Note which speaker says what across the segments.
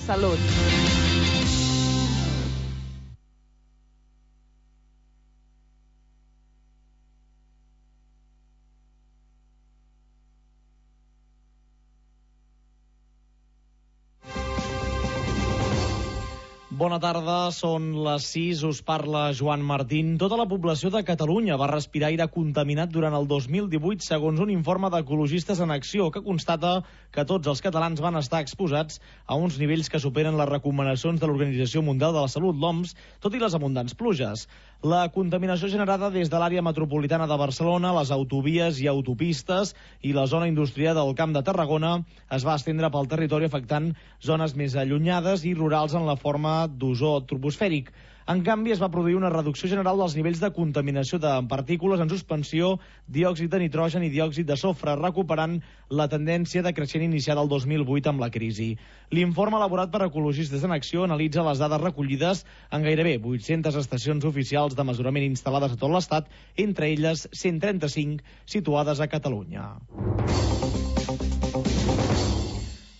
Speaker 1: Salut.
Speaker 2: Bona tarda, són les 6, us parla Joan Martín. Tota la població de Catalunya va respirar aire contaminat durant el 2018, segons un informe d'Ecologistes en Acció, que constata que tots els catalans van estar exposats a uns nivells que superen les recomanacions de l'Organització Mundial de la Salut, l'OMS, tot i les abundants pluges. La contaminació generada des de l'àrea metropolitana de Barcelona, les autovies i autopistes i la zona industrial del Camp de Tarragona es va estendre pel territori, afectant zones més allunyades i rurals en la forma d'ozó troposfèric. En canvi, es va produir una reducció general dels nivells de contaminació de partícules en suspensió, diòxid de nitrogen i diòxid de sofre, recuperant la tendència decreixent iniciada el 2008 amb la crisi. L'informe elaborat per Ecologistes en Acció analitza les dades recollides en gairebé 800 estacions oficials de mesurament instal·lades a tot l'Estat, entre elles 135 situades a Catalunya.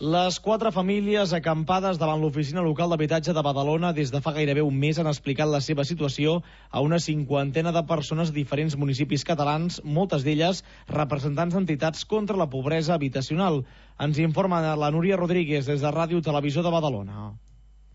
Speaker 2: Les 4 famílies acampades davant l'oficina local d'habitatge de Badalona des de fa gairebé un mes han explicat la seva situació a una 50ena de persones de diferents municipis catalans, moltes d'elles representants d'entitats contra la pobresa habitacional. Ens informa la Núria Rodríguez des de Ràdio Televisió de Badalona.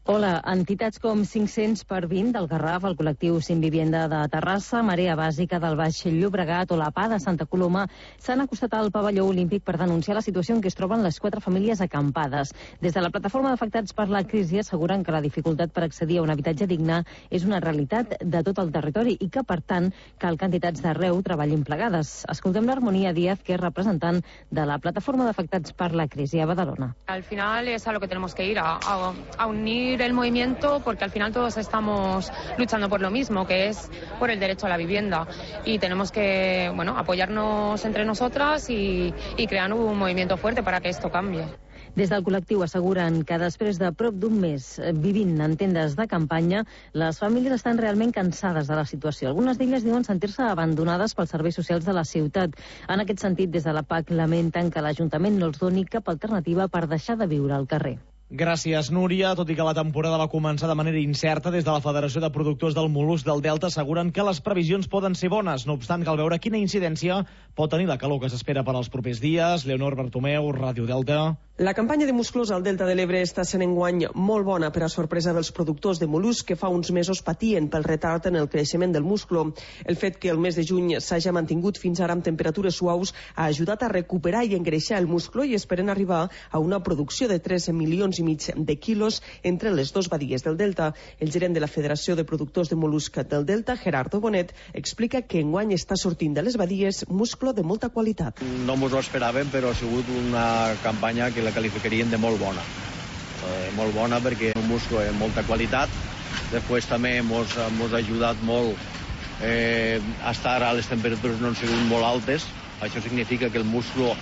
Speaker 3: Hola, entitats com 500 per 20 del Garraf, el col·lectiu Sin Vivienda de Terrassa, Marea Bàsica del Baix Llobregat o la PA de Santa Coloma s'han acostat al pavelló olímpic per denunciar la situació en què es troben les 4 famílies acampades. Des de la plataforma d'afectats per la crisi asseguren que la dificultat per accedir a un habitatge digne és una realitat de tot el territori i que, per tant, cal que entitats d'arreu treballin plegades. Escoltem l'Harmonia Díaz, que és representant de la plataforma d'afectats per la crisi a Badalona.
Speaker 4: Al final es a lo que tenemos que ir, a unir el movimiento, porque al final todos estamos luchando por lo mismo, que es por el derecho a la vivienda, y tenemos que apoyarnos entre nosotras y crear un movimiento fuerte para que esto cambie.
Speaker 3: Des del col·lectiu asseguren que després de prop d'un mes vivint en tendes de campanya, les famílies estan realment cansades de la situació. Algunes d'elles diuen sentir-se abandonades pels serveis socials de la ciutat. En aquest sentit, des de la PAC lamenten que l'Ajuntament no els doni cap alternativa per deixar de viure al carrer.
Speaker 2: Gràcies, Núria. Tot i que la temporada va començar de manera incerta, des de la Federació de Productors del Mol·lusc del Delta asseguren que les previsions poden ser bones. No obstant, cal veure quina incidència pot tenir la calor que s'espera per als propers dies. Leonor Bartomeu, Ràdio Delta.
Speaker 5: La campanya de musclos al Delta de l'Ebre està sent enguany molt bona per a sorpresa dels productors de mol·lusc que fa uns mesos patien pel retard en el creixement del musclo. El fet que el mes de juny s'hagi mantingut fins ara amb temperatures suaus ha ajudat a recuperar i engreixar el musclo i esperen arribar a una producció de 3 milions i mig de quilos entre les dues badies del Delta. El gerent de la Federació de Productors de Mol·lusc del Delta, Gerardo Bonet, explica que enguany està sortint de les badies musclo de molta qualitat.
Speaker 6: No ens ho esperàvem, però ha sigut una campanya que la qualificarien de molt bona. Molt bona perquè un musclo de molta qualitat. Després també ens ha ajudat molt a estar a les temperatures no han sigut molt altes. Això significa que el musclo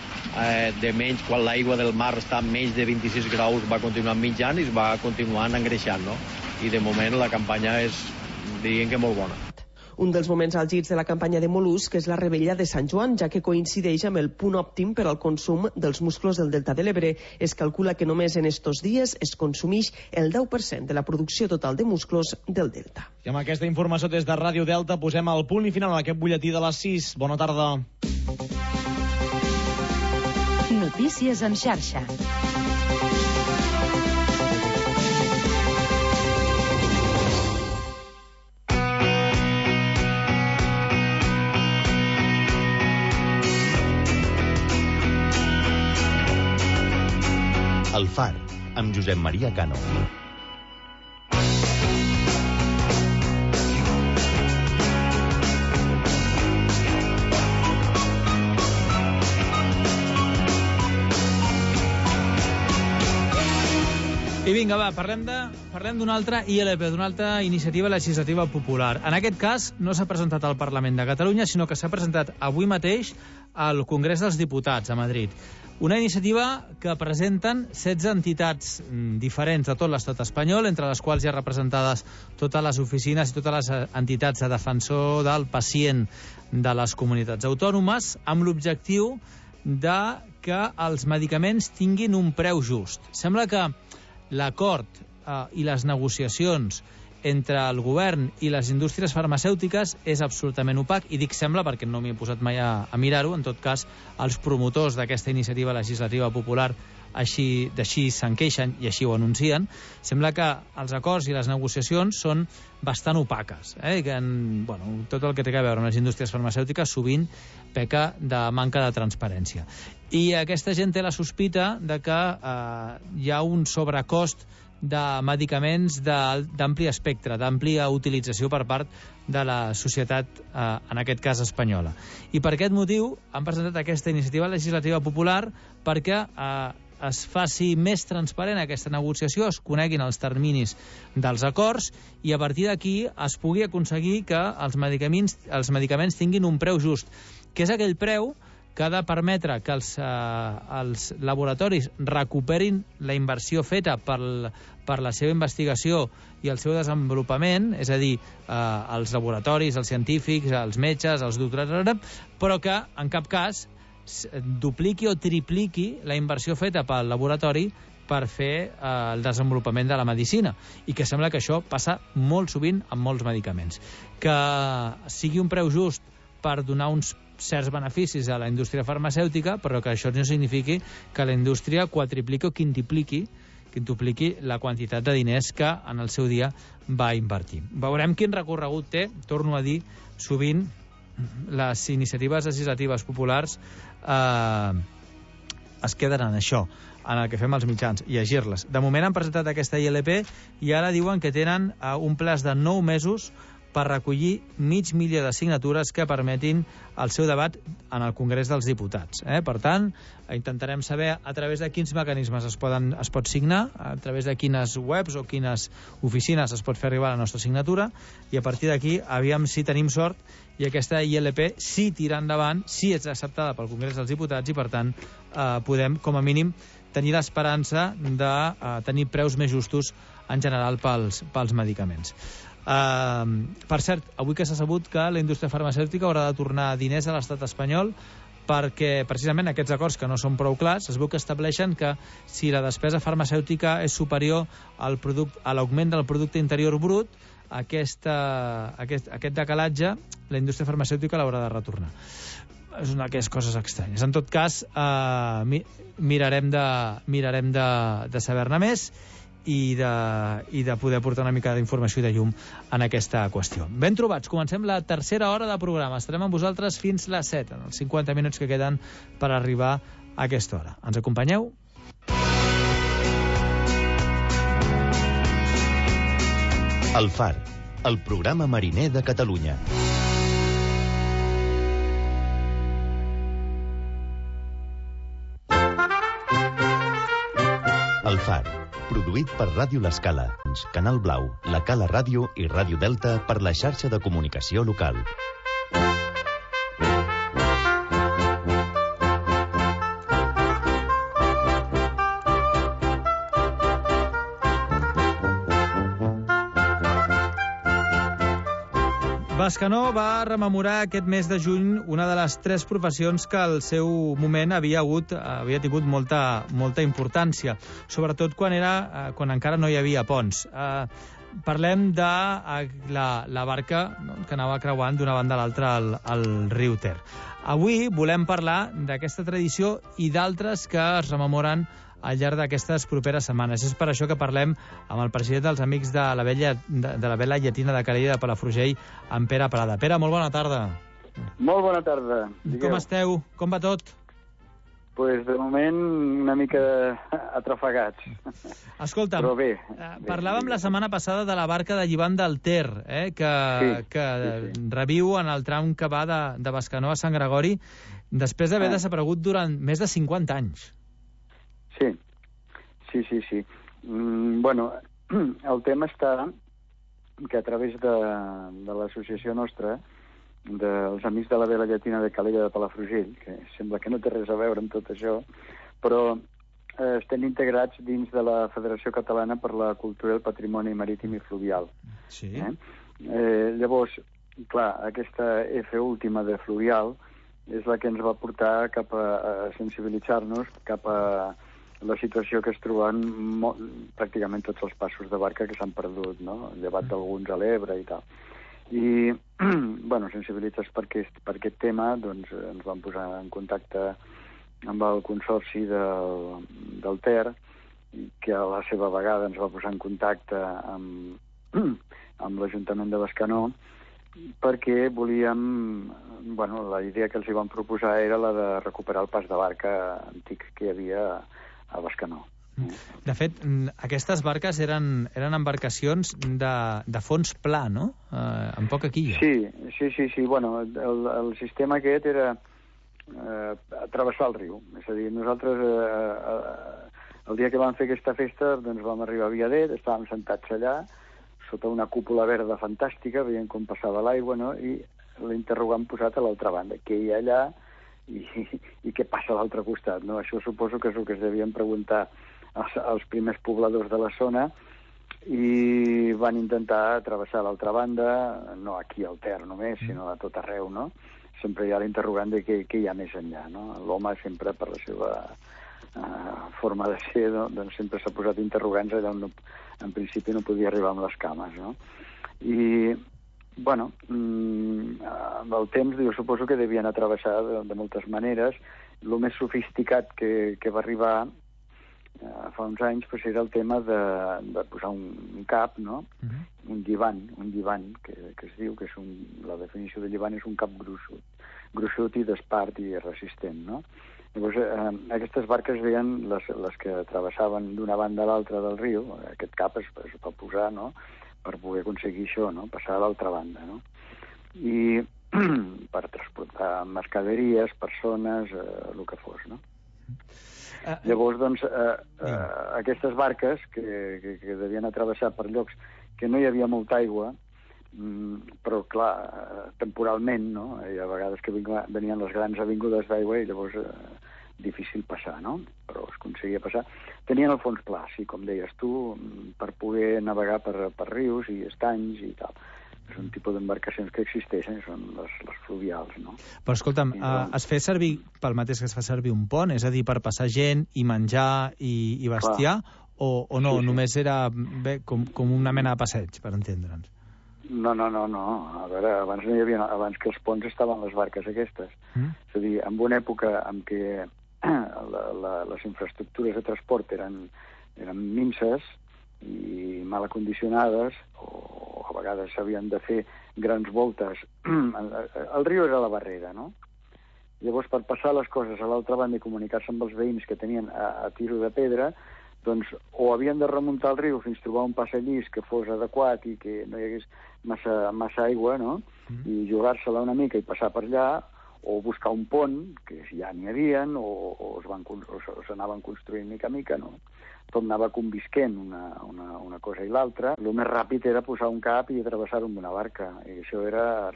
Speaker 6: de menys, quan l'aigua del mar està a menys de 26 graus, va continuar mitjant i es va continuant engreixant, no? I de moment la campanya és, diríem que molt bona.
Speaker 5: Un dels moments àlgids de la campanya de mol·lusc és la rebella de Sant Joan, ja que coincideix amb el punt òptim per al consum dels musclos del Delta de l'Ebre. Es calcula que només en estos dies es consumeix el 10% de la producció total de musclos del Delta.
Speaker 2: I amb aquesta informació des de Ràdio Delta posem el punt i final a aquest butlletí de les 6. Bona tarda.
Speaker 7: Notícies en xarxa.
Speaker 8: El Far, amb Josep Maria Cano.
Speaker 9: I vinga, va, parlem d'una altra ILP, d'una altra iniciativa legislativa popular. En aquest cas, no s'ha presentat al Parlament de Catalunya, sinó que s'ha presentat avui mateix al Congrés dels Diputats, a Madrid. Una iniciativa que presenten 16 entitats diferents de tot l'estat espanyol, entre les quals hi ha representades totes les oficines i totes les entitats de defensor del pacient de les comunitats autònomes, amb l'objectiu de que els medicaments tinguin un preu just. Sembla que l'acord i les negociacions entre el govern i les indústries farmacèutiques és absolutament opac, i dic sembla perquè no m'hi he posat mai a mirar-ho. En tot cas, els promotors d'aquesta iniciativa legislativa popular així se'n queixen i així ho anuncien. Sembla que els acords i les negociacions són bastant opaques, i que tot el que té a veure amb les indústries farmacèutiques sovint peca de manca de transparència. I aquesta gent té la sospita de que hi ha un sobrecost de medicaments d'ampli espectre, d'àmplia utilització per part de la societat, en aquest cas espanyola. I per aquest motiu han presentat aquesta iniciativa legislativa popular perquè es faci més transparent aquesta negociació, es coneguin els terminis dels acords i a partir d'aquí es pugui aconseguir que els medicaments tinguin un preu just, que és aquell preu que ha de permetre que els laboratoris recuperin la inversió feta per la seva investigació i el seu desenvolupament, és a dir, els laboratoris, els científics, els metges, els doctors, però que en cap cas dupliqui o tripliqui la inversió feta pel laboratori per fer el desenvolupament de la medicina, i que sembla que això passa molt sovint amb molts medicaments. Que sigui un preu just per donar uns certs beneficis a la indústria farmacèutica, però que això no signifiqui que la indústria quadripliqui o quintupliqui la quantitat de diners que en el seu dia va invertir. Veurem quin recorregut té. Torno a dir, sovint les iniciatives legislatives populars es queden en això, en el que fem els mitjans, llegir-les. De moment han presentat aquesta ILP i ara diuen que tenen un plaç de 9 mesos per recollir 500.000 de signatures que permetin el seu debat en el Congrés dels Diputats. Per tant, intentarem saber a través de quins mecanismes es pot signar, a través de quines webs o quines oficines es pot fer arribar la nostra signatura, i a partir d'aquí, aviam si tenim sort i aquesta ILP sí tira endavant, sí és acceptada pel Congrés dels Diputats, i per tant podem, com a mínim, tenir l'esperança de tenir preus més justos en general pels medicaments. Per cert, avui que s'ha sabut que la indústria farmacèutica haurà de tornar diners a l'estat espanyol perquè precisament aquests acords, que no són prou clars, es veu que estableixen que si la despesa farmacèutica és superior a l'augment del producte interior brut, aquest decalatge la indústria farmacèutica l'haurà de retornar. És una d'aquestes coses estranyes. En tot cas, mirarem de saber-ne més i de poder portar una mica d'informació i de llum en aquesta qüestió. Ben trobats, comencem la tercera hora de programa. Estarem amb vosaltres fins les 7, en els 50 minuts que queden per arribar a aquesta hora. Ens acompanyeu?
Speaker 8: El Far, el programa mariner de Catalunya. El Far, produït per Ràdio L'Escala, Canal Blau, La Cala Ràdio i Ràdio Delta per la xarxa de comunicació local.
Speaker 9: Bescanó va rememorar aquest mes de juny una de les 3 professions que al seu moment havia tingut molta importància, sobretot quan encara no hi havia ponts. Parlem de la barca que anava creuant d'una banda a l'altra al riu Ter. Avui volem parlar d'aquesta tradició i d'altres que es rememoren al llarg d'aquestes properes setmanes. És per això que parlem amb el president dels Amics de la Vela Llatina de Calella de Palafrugell, en Pere Prada. Pere, molt bona tarda.
Speaker 1: Molt bona tarda.
Speaker 9: Com esteu? Com va tot?
Speaker 1: Pues de moment una mica atrafegats.
Speaker 9: Escolta'm,
Speaker 1: però bé,
Speaker 9: parlàvem la setmana passada de la barca de Llivant del Ter, que reviu en el tram que va de Bescanó a Sant Gregori, després d'haver desaparegut durant més de 50 anys.
Speaker 1: Sí. Bueno, el tema està que a través de l'associació nostra, dels Amics de la Vela Llatina de Calella de Palafrugell, que sembla que no té res a veure amb tot això, però estem integrats dins de la Federació Catalana per la Cultura i el Patrimoni Marítim i Fluvial.
Speaker 9: Sí.
Speaker 1: Llavors, clar, aquesta F última de fluvial és la que ens va portar cap a sensibilitzar-nos cap a la situació que es troben pràcticament tots els passos de barca que s'han perdut, no? Llevat d'alguns a l'Ebre i tal. I, bueno, sensibilitzats per aquest tema, doncs ens vam posar en contacte amb el consorci del Ter, que a la seva vegada ens va posar en contacte amb l'Ajuntament de Bescanó, perquè volíem... Bueno, la idea que els hi vam proposar era la de recuperar el pas de barca antic que hi havia a Bescanó.
Speaker 9: De fet, aquestes barques eren embarcacions de fons pla, no? Amb poca quilla.
Speaker 1: Sí. Bueno, el sistema aquest era travessar el riu. És a dir, nosaltres el dia que vam fer aquesta festa doncs vam arribar a Viader, estàvem sentats allà sota una cúpula verda fantàstica, veient com passava l'aigua, no? I l'interrogant posat a l'altra banda, què hi ha allà i què passa a l'altre costat, no? Això suposo que és el que es devien preguntar els primers pobladors de la zona, i van intentar travessar l'altra banda, no aquí al Ter només, sinó a tot arreu, no? Sempre hi ha l'interrogant de què hi ha més enllà, no? L'home sempre, per la seva forma de ser, doncs sempre s'ha posat interrogants allà on en principi no podia arribar amb les cames, no? I, bueno, amb el temps jo suposo que devien atravessar de moltes maneres. El més sofisticat que va arribar fa uns anys pues, era el tema de posar un cap, no? Un llivant, que es diu, que és la definició de llivant és un cap gruixut i d'espart i resistent, no? Llavors, aquestes barques deien les que travessaven d'una banda a l'altra del riu, aquest cap es va posar, no?, per poder aconseguir això, no?, passar a l'altra banda, no? I per transportar mercaderies, persones, el que fos, no? Llavors, doncs, aquestes barques que devien atravessar per llocs que no hi havia molta aigua, però, clar, temporalment, no? Hi ha vegades que venien les grans avingudes d'aigua i llavors difícil passar, no? Però es aconseguia passar. Tenien el fons pla, sí, com deies tu, per poder navegar per rius i estanys i tal. És un tipus d'embarcacions que existeixen, són les fluvials, no?
Speaker 9: Però, escolta'm, es fa servir pel mateix que es fa servir un pont? És a dir, per passar gent i menjar i bestiar? O no, sí. Només era com una mena de passeig, per entendre'ns?
Speaker 1: No. A veure, abans que els ponts estaven les barques aquestes. És a dir, en una època en què les infraestructures de transport eren minses i mal acondicionades, o a vegades s'havien de fer grans voltes. El riu era la barrera, no? Llavors, per passar les coses a l'altra banda i comunicar-se amb els veïns que tenien a tiro de pedra, doncs o havien de remuntar el riu fins a trobar un passadís que fos adequat i que no hi hagués massa aigua, no?, i jugar-se-la una mica i passar per allà, o buscar un pont, que ja n'hi havien, o s'anaven construint mica a mica, no? Tot anava convisquent una cosa i l'altra. El més ràpid era posar un cap i travessar-ho amb una barca, i això era,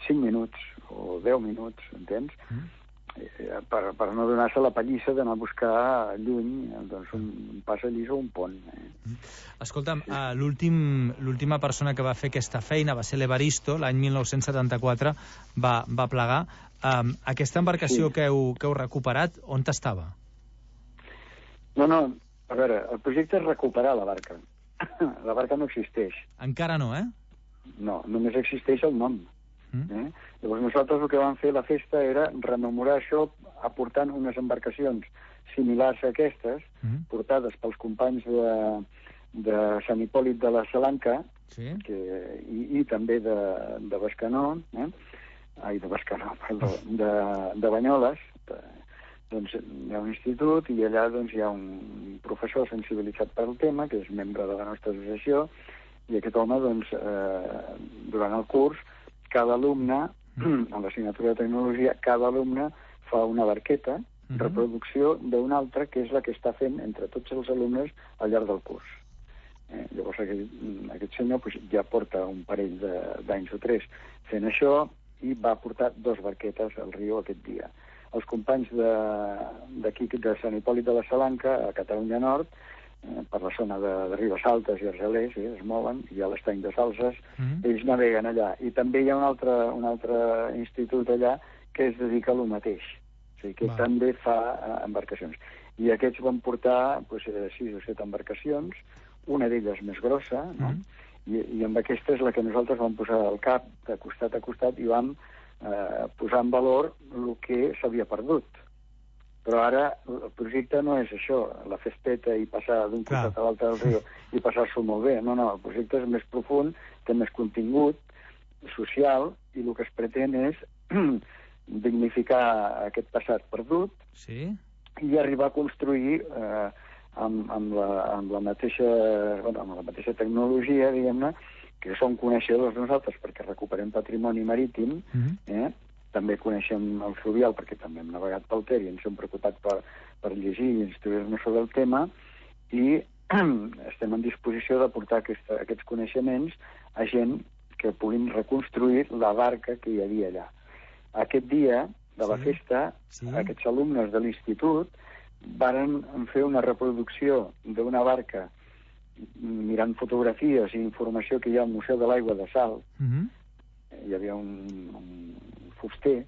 Speaker 1: 5 minuts o 10 minuts, entens? Per no donar-se la pallissa d'anar a buscar lluny doncs, un passadís o un pont.
Speaker 9: Escolta'm, l'última persona que va fer aquesta feina va ser l'Evaristo, l'any 1974 va plegar. Aquesta embarcació que heu recuperat, on estava?
Speaker 1: No, a veure, el projecte és recuperar la barca. La barca no existeix.
Speaker 9: Encara no, eh?
Speaker 1: No, només existeix el nom. Llavors nosaltres el que vam fer la festa era rememorar això aportant unes embarcacions similars a aquestes, portades pels companys de Sant Hipòlit de la Salanca, i també de Bescanó, de Banyoles. Doncs hi ha un institut i allà doncs, hi ha un professor sensibilitzat pel tema, que és membre de la nostra associació, i aquest home, doncs, durant el curs, cada alumne, en l'assignatura de tecnologia, cada alumne fa una barqueta, reproducció d'una altra, que és la que està fent entre tots els alumnes al llarg del curs. Llavors aquest senyor ja porta un parell d'anys o 3 fent això i va portar 2 barquetes al riu aquest dia. Els companys d'aquí, de Sant Hipòlit de la Salanca, a Catalunya Nord, per la zona de Ribes Altes i Argelers, es mouen, hi ha l'estany de Salses, ells naveguen allà. I també hi ha un altre institut allà que es dedica a lo mateix, o sigui, que també fa embarcacions. I aquests van portar 6 o 7 embarcacions, una d'elles més grossa, no? I amb aquesta és la que nosaltres vam posar al cap, de costat a costat, i vam posar en valor el que s'havia perdut. Però ara el projecte no és això, la festeta i passar d'un costat a l'altre del riu i passar-s'ho molt bé. No, el projecte és més profund, té més contingut social, i el que es pretén és dignificar aquest passat perdut i arribar a construir amb la mateixa tecnologia, diguem-ne, que som coneixedors nosaltres perquè recuperem patrimoni marítim, també coneixem el fluvial perquè també hem navegat pel Ter i ens hem preocupat per llegir i instruir-nos sobre el tema, i estem en disposició de portar aquests coneixements a gent que puguin reconstruir la barca que hi havia allà. Aquest dia de la festa, aquests alumnes de l'institut varen fer una reproducció d'una barca mirant fotografies i informació que hi ha al Museu de l'Aigua de Salt. Hi havia un fuster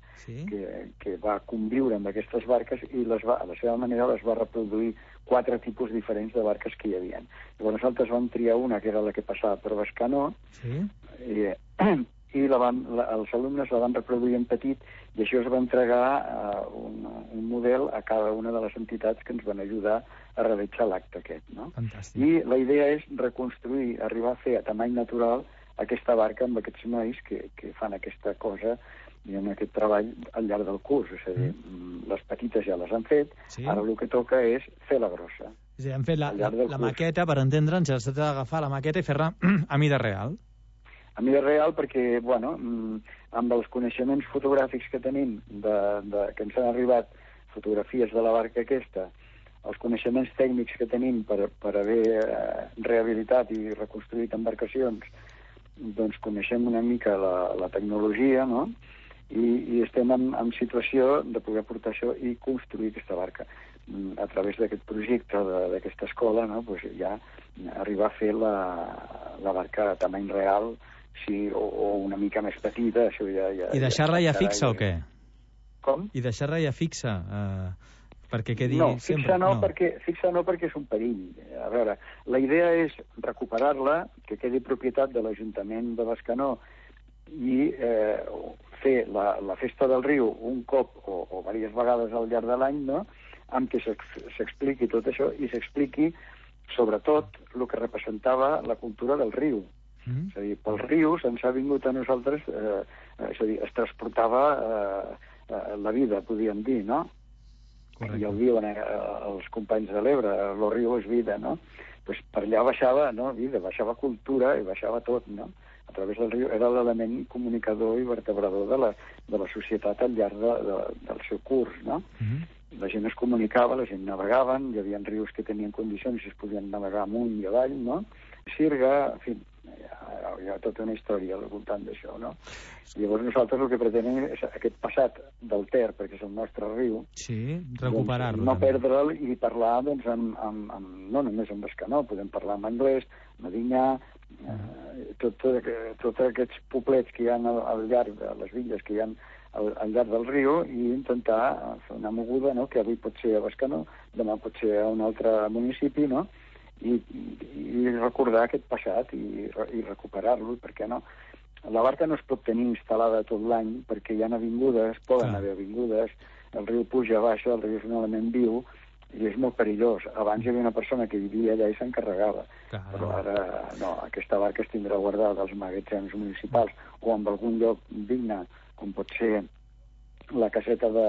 Speaker 1: que va conviure amb aquestes barques i a la seva manera les va reproduir 4 tipus diferents de barques que hi havia. Llavors nosaltres vam triar una que era la que passava per Bescanó i els alumnes la van reproduir en petit, i això es va entregar un model a cada una de les entitats que ens van ajudar a realitzar l'acte aquest. I la idea és reconstruir, arribar a fer a tamany natural aquesta barca amb aquests nois que fan aquesta cosa i en aquest treball al llarg del curs. És a dir, les petites ja les han fet, ara el que toca és fer la grossa.
Speaker 9: És a dir, han fet la maqueta, per entendre'ns, ja s'ha d'agafar la maqueta i fer-la a mida real.
Speaker 1: A mida real perquè, amb els coneixements fotogràfics que tenim, que ens han arribat fotografies de la barca aquesta, els coneixements tècnics que tenim per haver rehabilitat i reconstruït embarcacions, doncs coneixem una mica la tecnologia, no? I estem en situació de poder portar això i construir aquesta barca. A través d'aquest projecte, d'aquesta escola, no? Ja arribar a fer la barca a tamany real, o una mica més petita, això ja...
Speaker 9: I deixar-la ja fixa o què?
Speaker 1: Com?
Speaker 9: I deixar-la ja fixa, perquè quedi
Speaker 1: sempre... Fixa no, perquè és un perill. A veure, la idea és recuperar-la, que quedi propietat de l'Ajuntament de Bescanó, i fer la festa del riu un cop o diverses vegades al llarg de l'any, no?, amb què s'expliqui tot això i s'expliqui sobretot el que representava la cultura del riu. És a dir, pels rius ens ha vingut a nosaltres, és a dir, es transportava la vida, podríem dir, no? Correcte. I ho diuen els companys de l'Ebre, el riu és vida, no? Pues per allà baixava vida, baixava cultura i baixava tot, no? A través del riu era l'element comunicador i vertebrador de la societat al llarg del seu curs, no? La gent es comunicava, la gent navegaven, hi havia rius que tenien condicions i es podien navegar amunt i avall, no? Sirga, en fi, hi ha tota una història al voltant d'això, no? Llavors nosaltres el que pretenem és aquest passat del Ter, perquè és el nostre riu,
Speaker 9: recuperar-lo.
Speaker 1: No perdre'l i parlar, doncs, no només en Bescanó, podem parlar en anglès, Medinyà, tots aquests poblets que hi ha al llarg de les villes que hi ha al llarg del riu, i intentar fer una moguda, no?, que avui pot ser a Bescanó, demà pot ser a un altre municipi, no?, i recordar aquest passat i recuperar-lo, perquè no? La barca no es pot tenir instal·lada tot l'any perquè hi ha avingudes, poden haver avingudes, el riu puja, baixa, el riu és un element viu i és molt perillós. Abans hi havia una persona que vivia allà i s'encarregava, però ara no, aquesta barca es tindrà guardada als magatzems municipals o en algun lloc digne, com pot ser la caseta de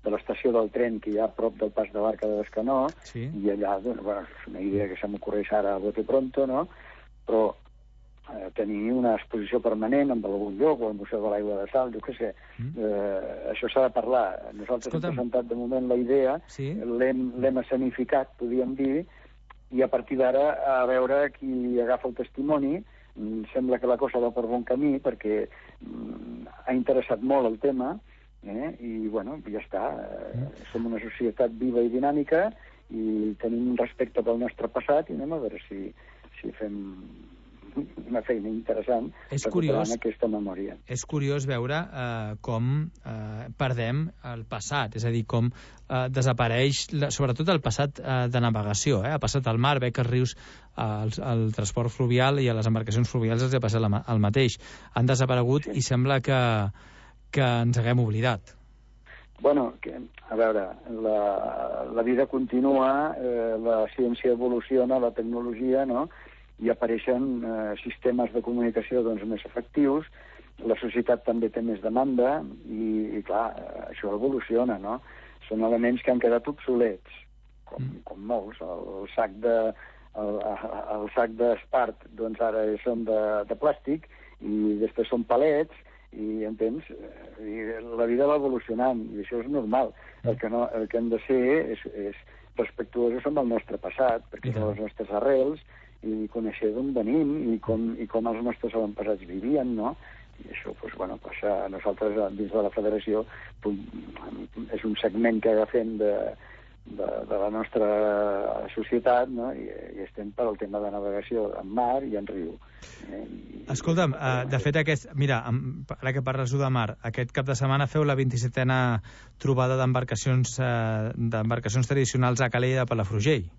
Speaker 1: l'estació del tren que hi ha a prop del pas de barca de Bescanó, i allà, és una idea que se m'ocorreix ara a bote pronto, no? Però tenir una exposició permanent en algun lloc, o al Museu de l'Aigua de Salt, jo què sé, això s'ha de parlar. Nosaltres hem presentat de moment la idea, l'hem escenificat, podríem dir, i a partir d'ara a veure qui agafa el testimoni. Sembla que la cosa va per bon camí perquè ha interessat molt el tema, i ja està. Som una societat viva i dinàmica i tenim un respecte pel nostre passat i anem a veure si fem una feina interessant recuperant aquesta memòria.
Speaker 9: És curiós veure com perdem el passat, és a dir, com desapareix, sobretot el passat de navegació. Ha passat al mar, que als rius, al transport fluvial i a les embarcacions fluvials els ha passat el mateix. Han desaparegut i sembla que ens haguem oblidat.
Speaker 1: Bueno, a veure, la vida continua, la ciència evoluciona, la tecnologia, no?, i apareixen sistemes de comunicació més efectius, la societat també té més demanda i clar, això evoluciona, no? Són elements que han quedat obsolets, com molts. El sac d'espart, doncs ara són de plàstic i després són palets, i entens? I la vida va evolucionant i això és normal. El que hem de ser és respectuosos amb el nostre passat, perquè són les nostres arrels i conèixer d'on venim i com els nostres avantpassats vivien, no? I això, passa a nosaltres dins de la federació, és un segment que agafem de la nostra societat, no? I estem per al tema de navegació en mar i en riu.
Speaker 9: Escolta'm, de fet, mira, ara que parles de mar, aquest cap de setmana feu la 27a trobada d'embarcacions tradicionals a Calella de Palafrugell.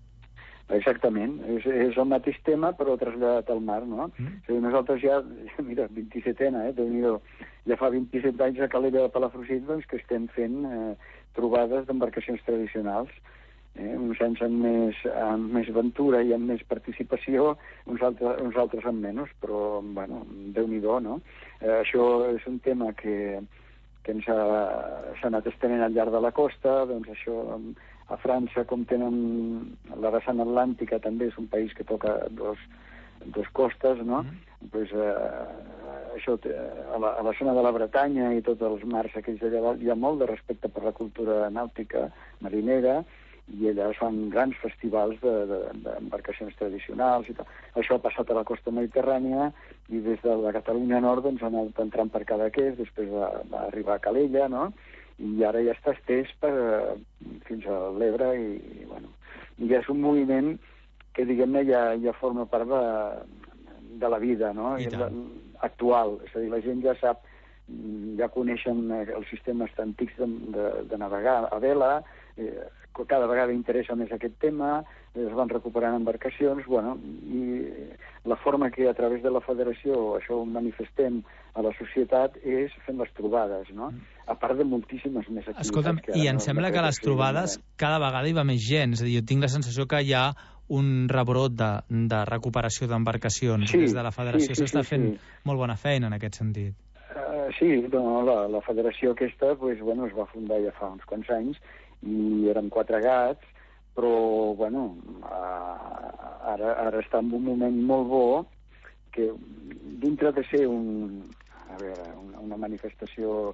Speaker 1: Exactament, és el mateix tema però traslladat al mar, no? És a dir, nosaltres ja, mira, 27a, Déu-n'hi-do, ja fa 27 anys a Calella de Palafrugell que estem fent trobades d'embarcacions tradicionals, uns anys amb més aventura i amb més participació, uns altres amb menys, però, bueno, Déu-n'hi-do, no? Això és un tema que s'ha anat estenent al llarg de la costa, doncs això... A França, com tenen la vessant atlàntica, també és un país que toca dos costes, no? Pues, això, a la zona de la Bretanya i tots els mars aquells d'allà hi ha molt de respecte per la cultura nàutica marinera i allà es fan grans festivals d'embarcacions tradicionals i tal. Això ha passat a la costa mediterrània i des de la Catalunya Nord doncs, han anat entrant per Cadaqués, després va arribar a Calella, no? I ara ja està estès fins a l'Ebre i ja és un moviment que, diguem-ne, ja forma part de la vida, no? Actual. És a dir, la gent ja sap, ja coneixen els sistemes antics de navegar a vela, cada vegada interessa més aquest tema, es van recuperant embarcacions, i la forma que a través de la federació això ho manifestem a la societat és fent les trobades, no? A part de moltíssimes més activitats.
Speaker 9: Escolta'm, i em sembla que a les trobades cada vegada hi va més gent, és a dir, jo tinc la sensació que hi ha un rebrot de recuperació d'embarcacions des de la federació. S'està fent molt bona feina en aquest sentit.
Speaker 1: Sí, la federació aquesta es va fundar ja fa uns quants anys i érem 4 gats, però ara està en un moment molt bo que dintre de ser una manifestació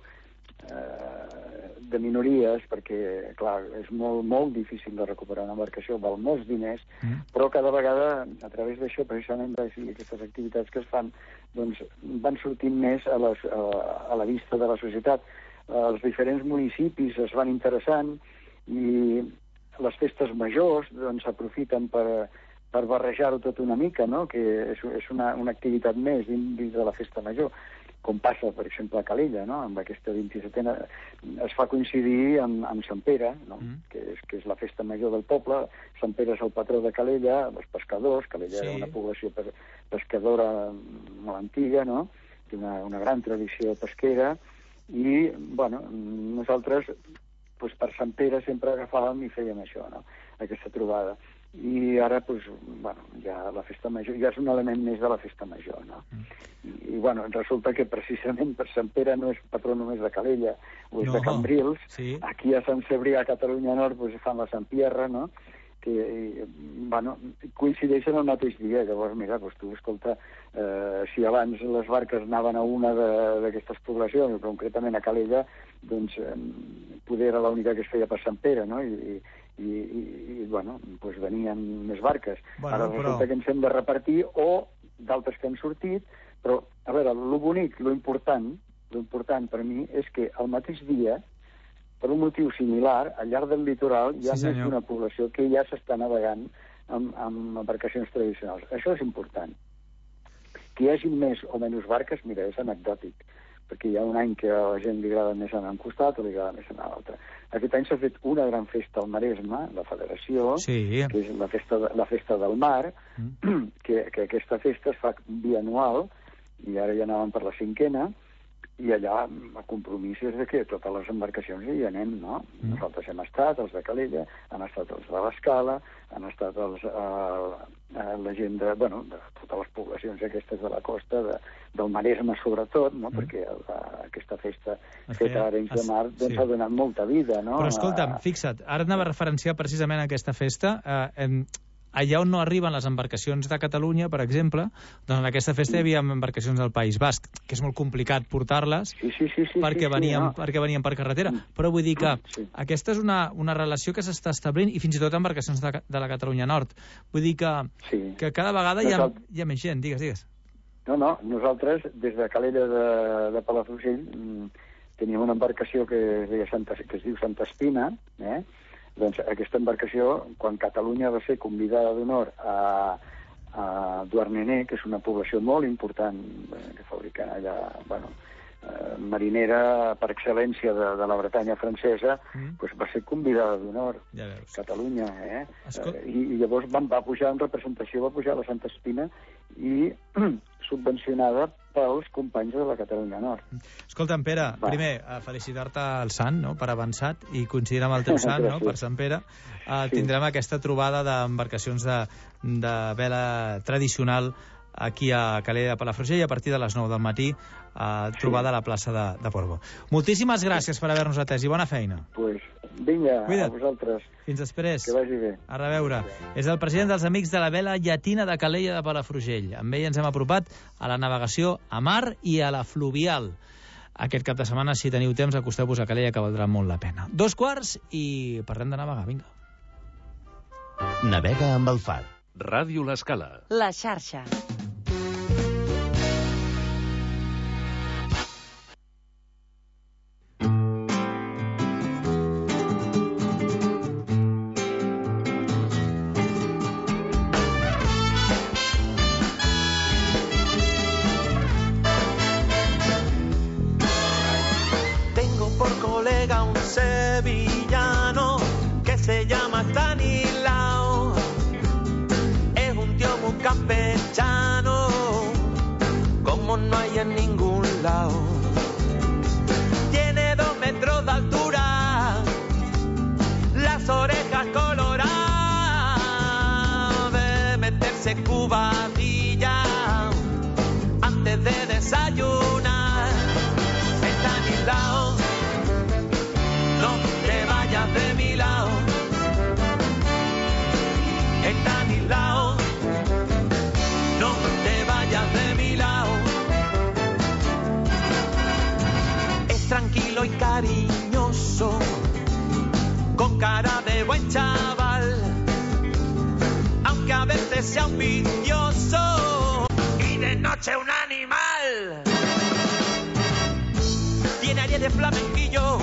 Speaker 1: de minories, perquè, clar, és molt difícil de recuperar una embarcació, val molts diners, però cada vegada, a través d'això, precisament d'aquestes activitats que es fan, doncs van sortint més a la vista de la societat. Els diferents municipis es van interessant i les festes majors doncs s'aprofiten per barrejar-ho tot una mica, no? Que és una activitat més dins de la festa major, com passa, per exemple, a Calella, no? Amb aquesta 27a es fa coincidir amb Sant Pere, no? Que és la festa major del poble. Sant Pere és el patró de Calella, els pescadors. Calella era una població pescadora molt antiga, no? Té una gran tradició pesquera i, nosaltres per Sant Pere sempre agafàvem i fèiem això, no? Aquesta trobada. I ara, ja la festa major, ja és un element més de la festa major, no? I, resulta que precisament per Sant Pere no és patró només de Calella, o és de Cambrils. Aquí a Sant Cebrià, a Catalunya Nord, fan la Sant Pierre, no? Que, coincideixen el mateix dia. Llavors, mira, tu, escolta, si abans les barques anaven a una d'aquestes poblacions, concretament a Calella, doncs poder era l'única que es feia per Sant Pere, no? I venien més barques. Ara resulta que ens hem de repartir o d'altres que han sortit, però, a veure, lo bonic, lo important per mi és que al mateix dia, per un motiu similar, al llarg del litoral hi ha més d'una població que ja s'està navegant amb embarcacions tradicionals. Això és important. Que hi hagi més o menys barques, mira, és anecdòtic, perquè hi ha un any que a la gent li agrada més anar a un costat o li agrada més anar a l'altre. Aquest any s'ha fet una gran festa al Maresme, la Federació, que és la festa del mar, que aquesta festa es fa bianual, i ara ja anàvem per la 5ª, i allà el compromís és que totes les embarcacions hi anem, no? Nosaltres hem estat, els de Calella, han estat els de l'Escala, han estat la gent de totes les poblacions aquestes de la costa, del Maresme sobretot, no? Perquè aquesta festa feta a Arenys de Mar doncs ha donat molta vida, no?
Speaker 9: Però escolta'm, fixa't, ara anava a referenciar precisament aquesta festa, allà on no arriben les embarcacions de Catalunya, per exemple, doncs en aquesta festa hi havia embarcacions del País Basc, que és molt complicat portar-les perquè venien per carretera. Però vull dir que aquesta és una relació que s'està establint, i fins i tot embarcacions de la Catalunya Nord. Vull dir que cada vegada hi ha més gent. Digues.
Speaker 1: No, nosaltres, des de Calella de Palafrugell, teníem una embarcació que es diu Santa Espina, doncs aquesta embarcació, quan Catalunya va ser convidada d'honor a Douarnenez, que és una població molt important que fabriquen allà, marinera per excel·lència de la Bretanya francesa, doncs va ser convidada d'honor Catalunya, i llavors va pujar en representació, va pujar a la Santa Espina i subvencionada pels companys de la Catalunya Nord.
Speaker 9: Escolta'm, Pere, primer, felicitar-te al sant, no?, per avançat, i coincidir amb el teu sant, no?, per Sant Pere. Tindrem aquesta trobada d'embarcacions de vela tradicional aquí a Calella de Palafrugell a partir de les 9 del matí, trobada a la plaça de Portbou. Moltíssimes gràcies per haver-nos atès i bona feina.
Speaker 1: Vinga, a vosaltres.
Speaker 9: Fins després.
Speaker 1: Que vagi bé.
Speaker 9: A reveure. És el president dels Amics de la Vela Llatina de Calella de Palafrugell. Amb ell ens hem apropat a la navegació a mar i a la fluvial. Aquest cap de setmana, si teniu temps, acosteu-vos a Calella, que valdrà molt la pena. 2:15 i parlem de navegar, vinga.
Speaker 8: Navega amb el far.
Speaker 10: Ràdio L'Escala.
Speaker 7: La xarxa.
Speaker 11: Sevillano que se llama Stanislao, es un tío muy campechano como no hay en ningún lado. Tiene 2 metros de altura, las orejas coloradas, de meterse cubadilla antes de desayunar. Stanislao, de mi lado, está a mi lado, no te vayas de mi lado. Es tranquilo y cariñoso, con cara de buen chaval, aunque a veces sea un vicioso y de noche un animal. Tiene aire de flamenquillo,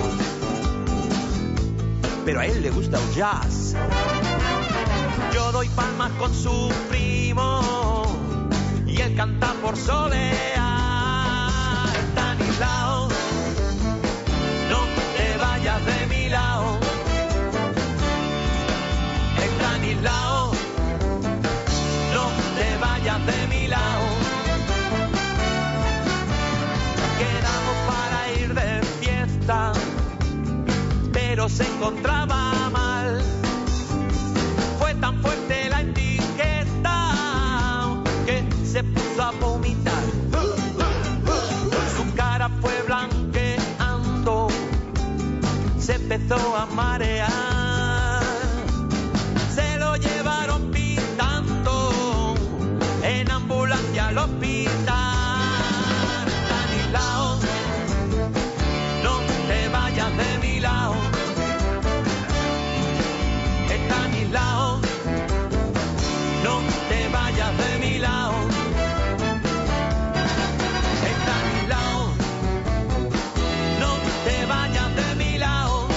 Speaker 11: pero a él le gusta el jazz. Yo doy palmas con su primo y él canta por soleá. Está a mi lado, no te vayas de mi lado. Está a mi lado, no te vayas de mi lado. Quedamos para ir de fiesta, pero se encontraba mal. Fue tan fuerte la indigestion que se puso a vomitar. Su cara fue blanqueando, se empezó a marear. Se lo llevaron pintando en ambulancia al hospital. Está a mi lado, no te vayas de mi lado. Está a mi lado, no te vayas de mi lado. Está a mi lado, no te vayas de mi lado.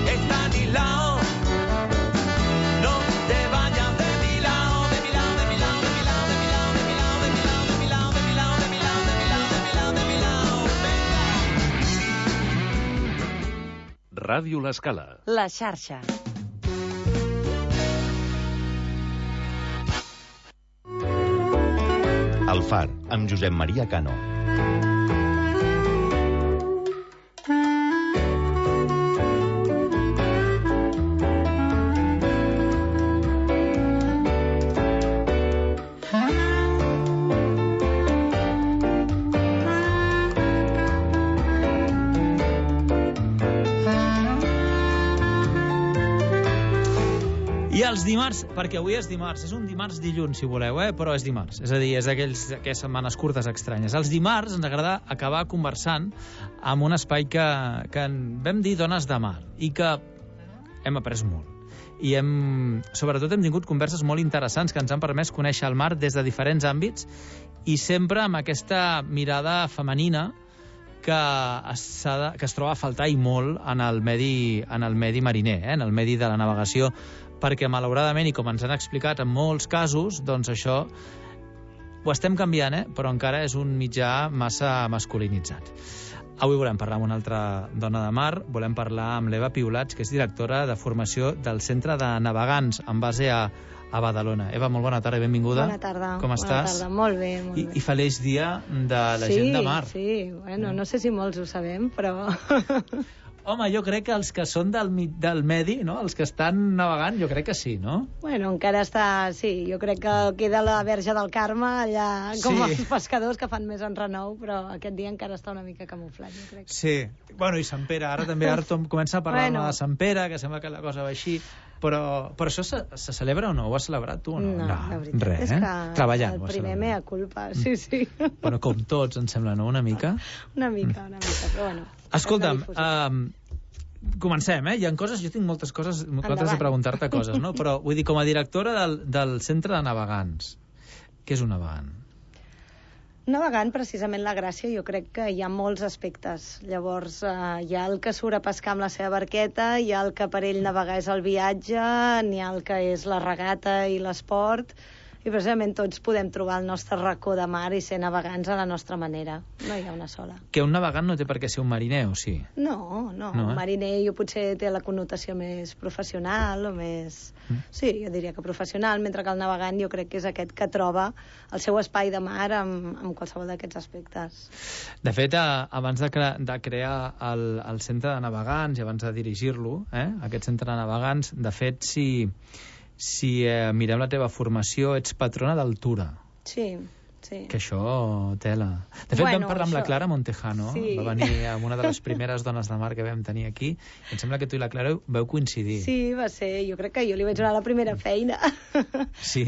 Speaker 11: Está a mi lado, no te vayas de mi lado, de mi lado, de mi lado, de mi lado.
Speaker 10: Ràdio L'Escala.
Speaker 7: La xarxa.
Speaker 8: El Far, amb Josep Maria Cano.
Speaker 9: I els dimarts, perquè avui és dimarts, és un dimarts dilluns, si voleu, però és dimarts. És a dir, és d'aquelles setmanes curtes estranyes. Els dimarts ens agrada acabar conversant amb un espai que vam dir Dones de Mar i que hem après molt. I sobretot hem tingut converses molt interessants que ens han permès conèixer el mar des de diferents àmbits i sempre amb aquesta mirada femenina que es troba a faltar i molt en el medi mariner, en el medi de la navegació, perquè malauradament, i com ens han explicat en molts casos, doncs això ho estem canviant, però encara és un mitjà massa masculinitzat. Avui volem parlar amb una altra dona de mar, volem parlar amb l'Eva Piolats, que és directora de formació del Centre de Navegants en base a Badalona. Eva, molt bona tarda i benvinguda.
Speaker 12: Bona tarda.
Speaker 9: Com estàs?
Speaker 12: Bona tarda, molt bé. Molt bé.
Speaker 9: I feliç dia de la gent de mar.
Speaker 12: Sí, bueno, no sé si molts ho sabem, però...
Speaker 9: Home, jo crec que els que són del medi, no? Els que estan navegant, jo crec que sí, no?
Speaker 12: Bueno, encara està... Sí, jo crec que queda la Verge del Carme allà com els pescadors que fan més enrenou, però aquest dia encara està una mica camuflat, jo crec.
Speaker 9: Sí, bueno, i Sant Pere, ara també comença a parlar-me de Sant Pere, que sembla que la cosa va així, però això se celebra o no? Ho has celebrat tu o no?
Speaker 12: No, la veritat és que
Speaker 9: treballant,
Speaker 12: el primer mea culpa, sí.
Speaker 9: Bueno, com tots, em sembla, no? Una mica?
Speaker 12: Una mica, però bueno.
Speaker 9: Escolta'm, comencem, Hi ha coses, jo tinc moltes de preguntar-te coses, no? Però vull dir, com a directora del Centre de Navegants, què és un navegant?
Speaker 12: Navegant, precisament la gràcia, jo crec que hi ha molts aspectes. Llavors, hi ha el que surt a pescar amb la seva barqueta, hi ha el que per ell navegar és el viatge, n'hi ha el que és la regata i l'esport, i precisament tots podem trobar el nostre racó de mar i ser navegants a la nostra manera. No hi ha una sola.
Speaker 9: Que un navegant no té per què ser un mariner, o sí?
Speaker 12: No. Un mariner jo potser té la connotació més professional o més... Sí, jo diria que professional, mentre que el navegant jo crec que és aquest que troba el seu espai de mar amb qualsevol d'aquests aspectes.
Speaker 9: De fet, abans de crear el centre de navegants i abans de dirigir-lo, aquest centre de navegants, de fet, si mirem la teva formació, ets patrona d'altura.
Speaker 12: Sí.
Speaker 9: Que això tela. De fet, vam parlar amb la Clara Montejano, va venir amb una de les primeres dones de mar que vam tenir aquí, i em sembla que tu i la Clara vau coincidir.
Speaker 12: Sí, va ser, jo crec que jo li vaig donar la primera feina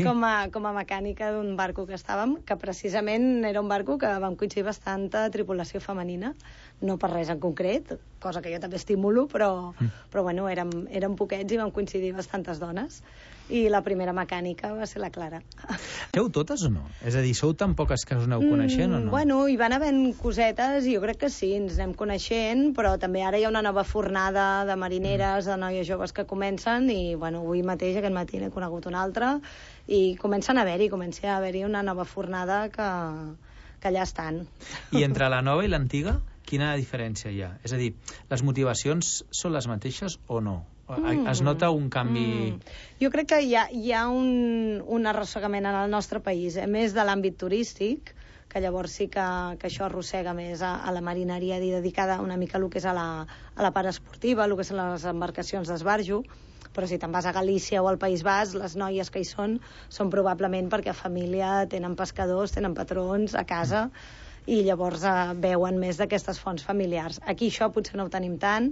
Speaker 12: com a mecànica d'un barco que estàvem, que precisament era un barco que vam coincidir bastanta tripulació femenina, no per res en concret, cosa que jo també estimulo, però bueno, érem poquets i vam coincidir bastantes dones. I la primera mecànica va ser la Clara.
Speaker 9: Sou totes o no? És a dir, sou tan poques que us aneu coneixent o no?
Speaker 12: Bueno, hi van havent cosetes i jo crec que sí, ens anem coneixent, però també ara hi ha una nova fornada de marineres, de noies joves que comencen i, bueno, avui mateix, aquest matí n'he conegut una altra i comença a haver-hi una nova fornada que allà estan.
Speaker 9: I entre la nova i l'antiga, quina diferència hi ha? És a dir, les motivacions són les mateixes o no? Es nota un canvi...
Speaker 12: Jo crec que hi ha un arrossegament en el nostre país, més de l'àmbit turístic, que llavors sí que això arrossega més a la marineria dedicada una mica a lo que és a la part esportiva, a lo que són les embarcacions d'esbarjo, però si te'n vas a Galícia o al País Basc, les noies que hi són probablement perquè a família tenen pescadors, tenen patrons a casa, i llavors veuen més d'aquestes fonts familiars. Aquí això potser no ho tenim tant,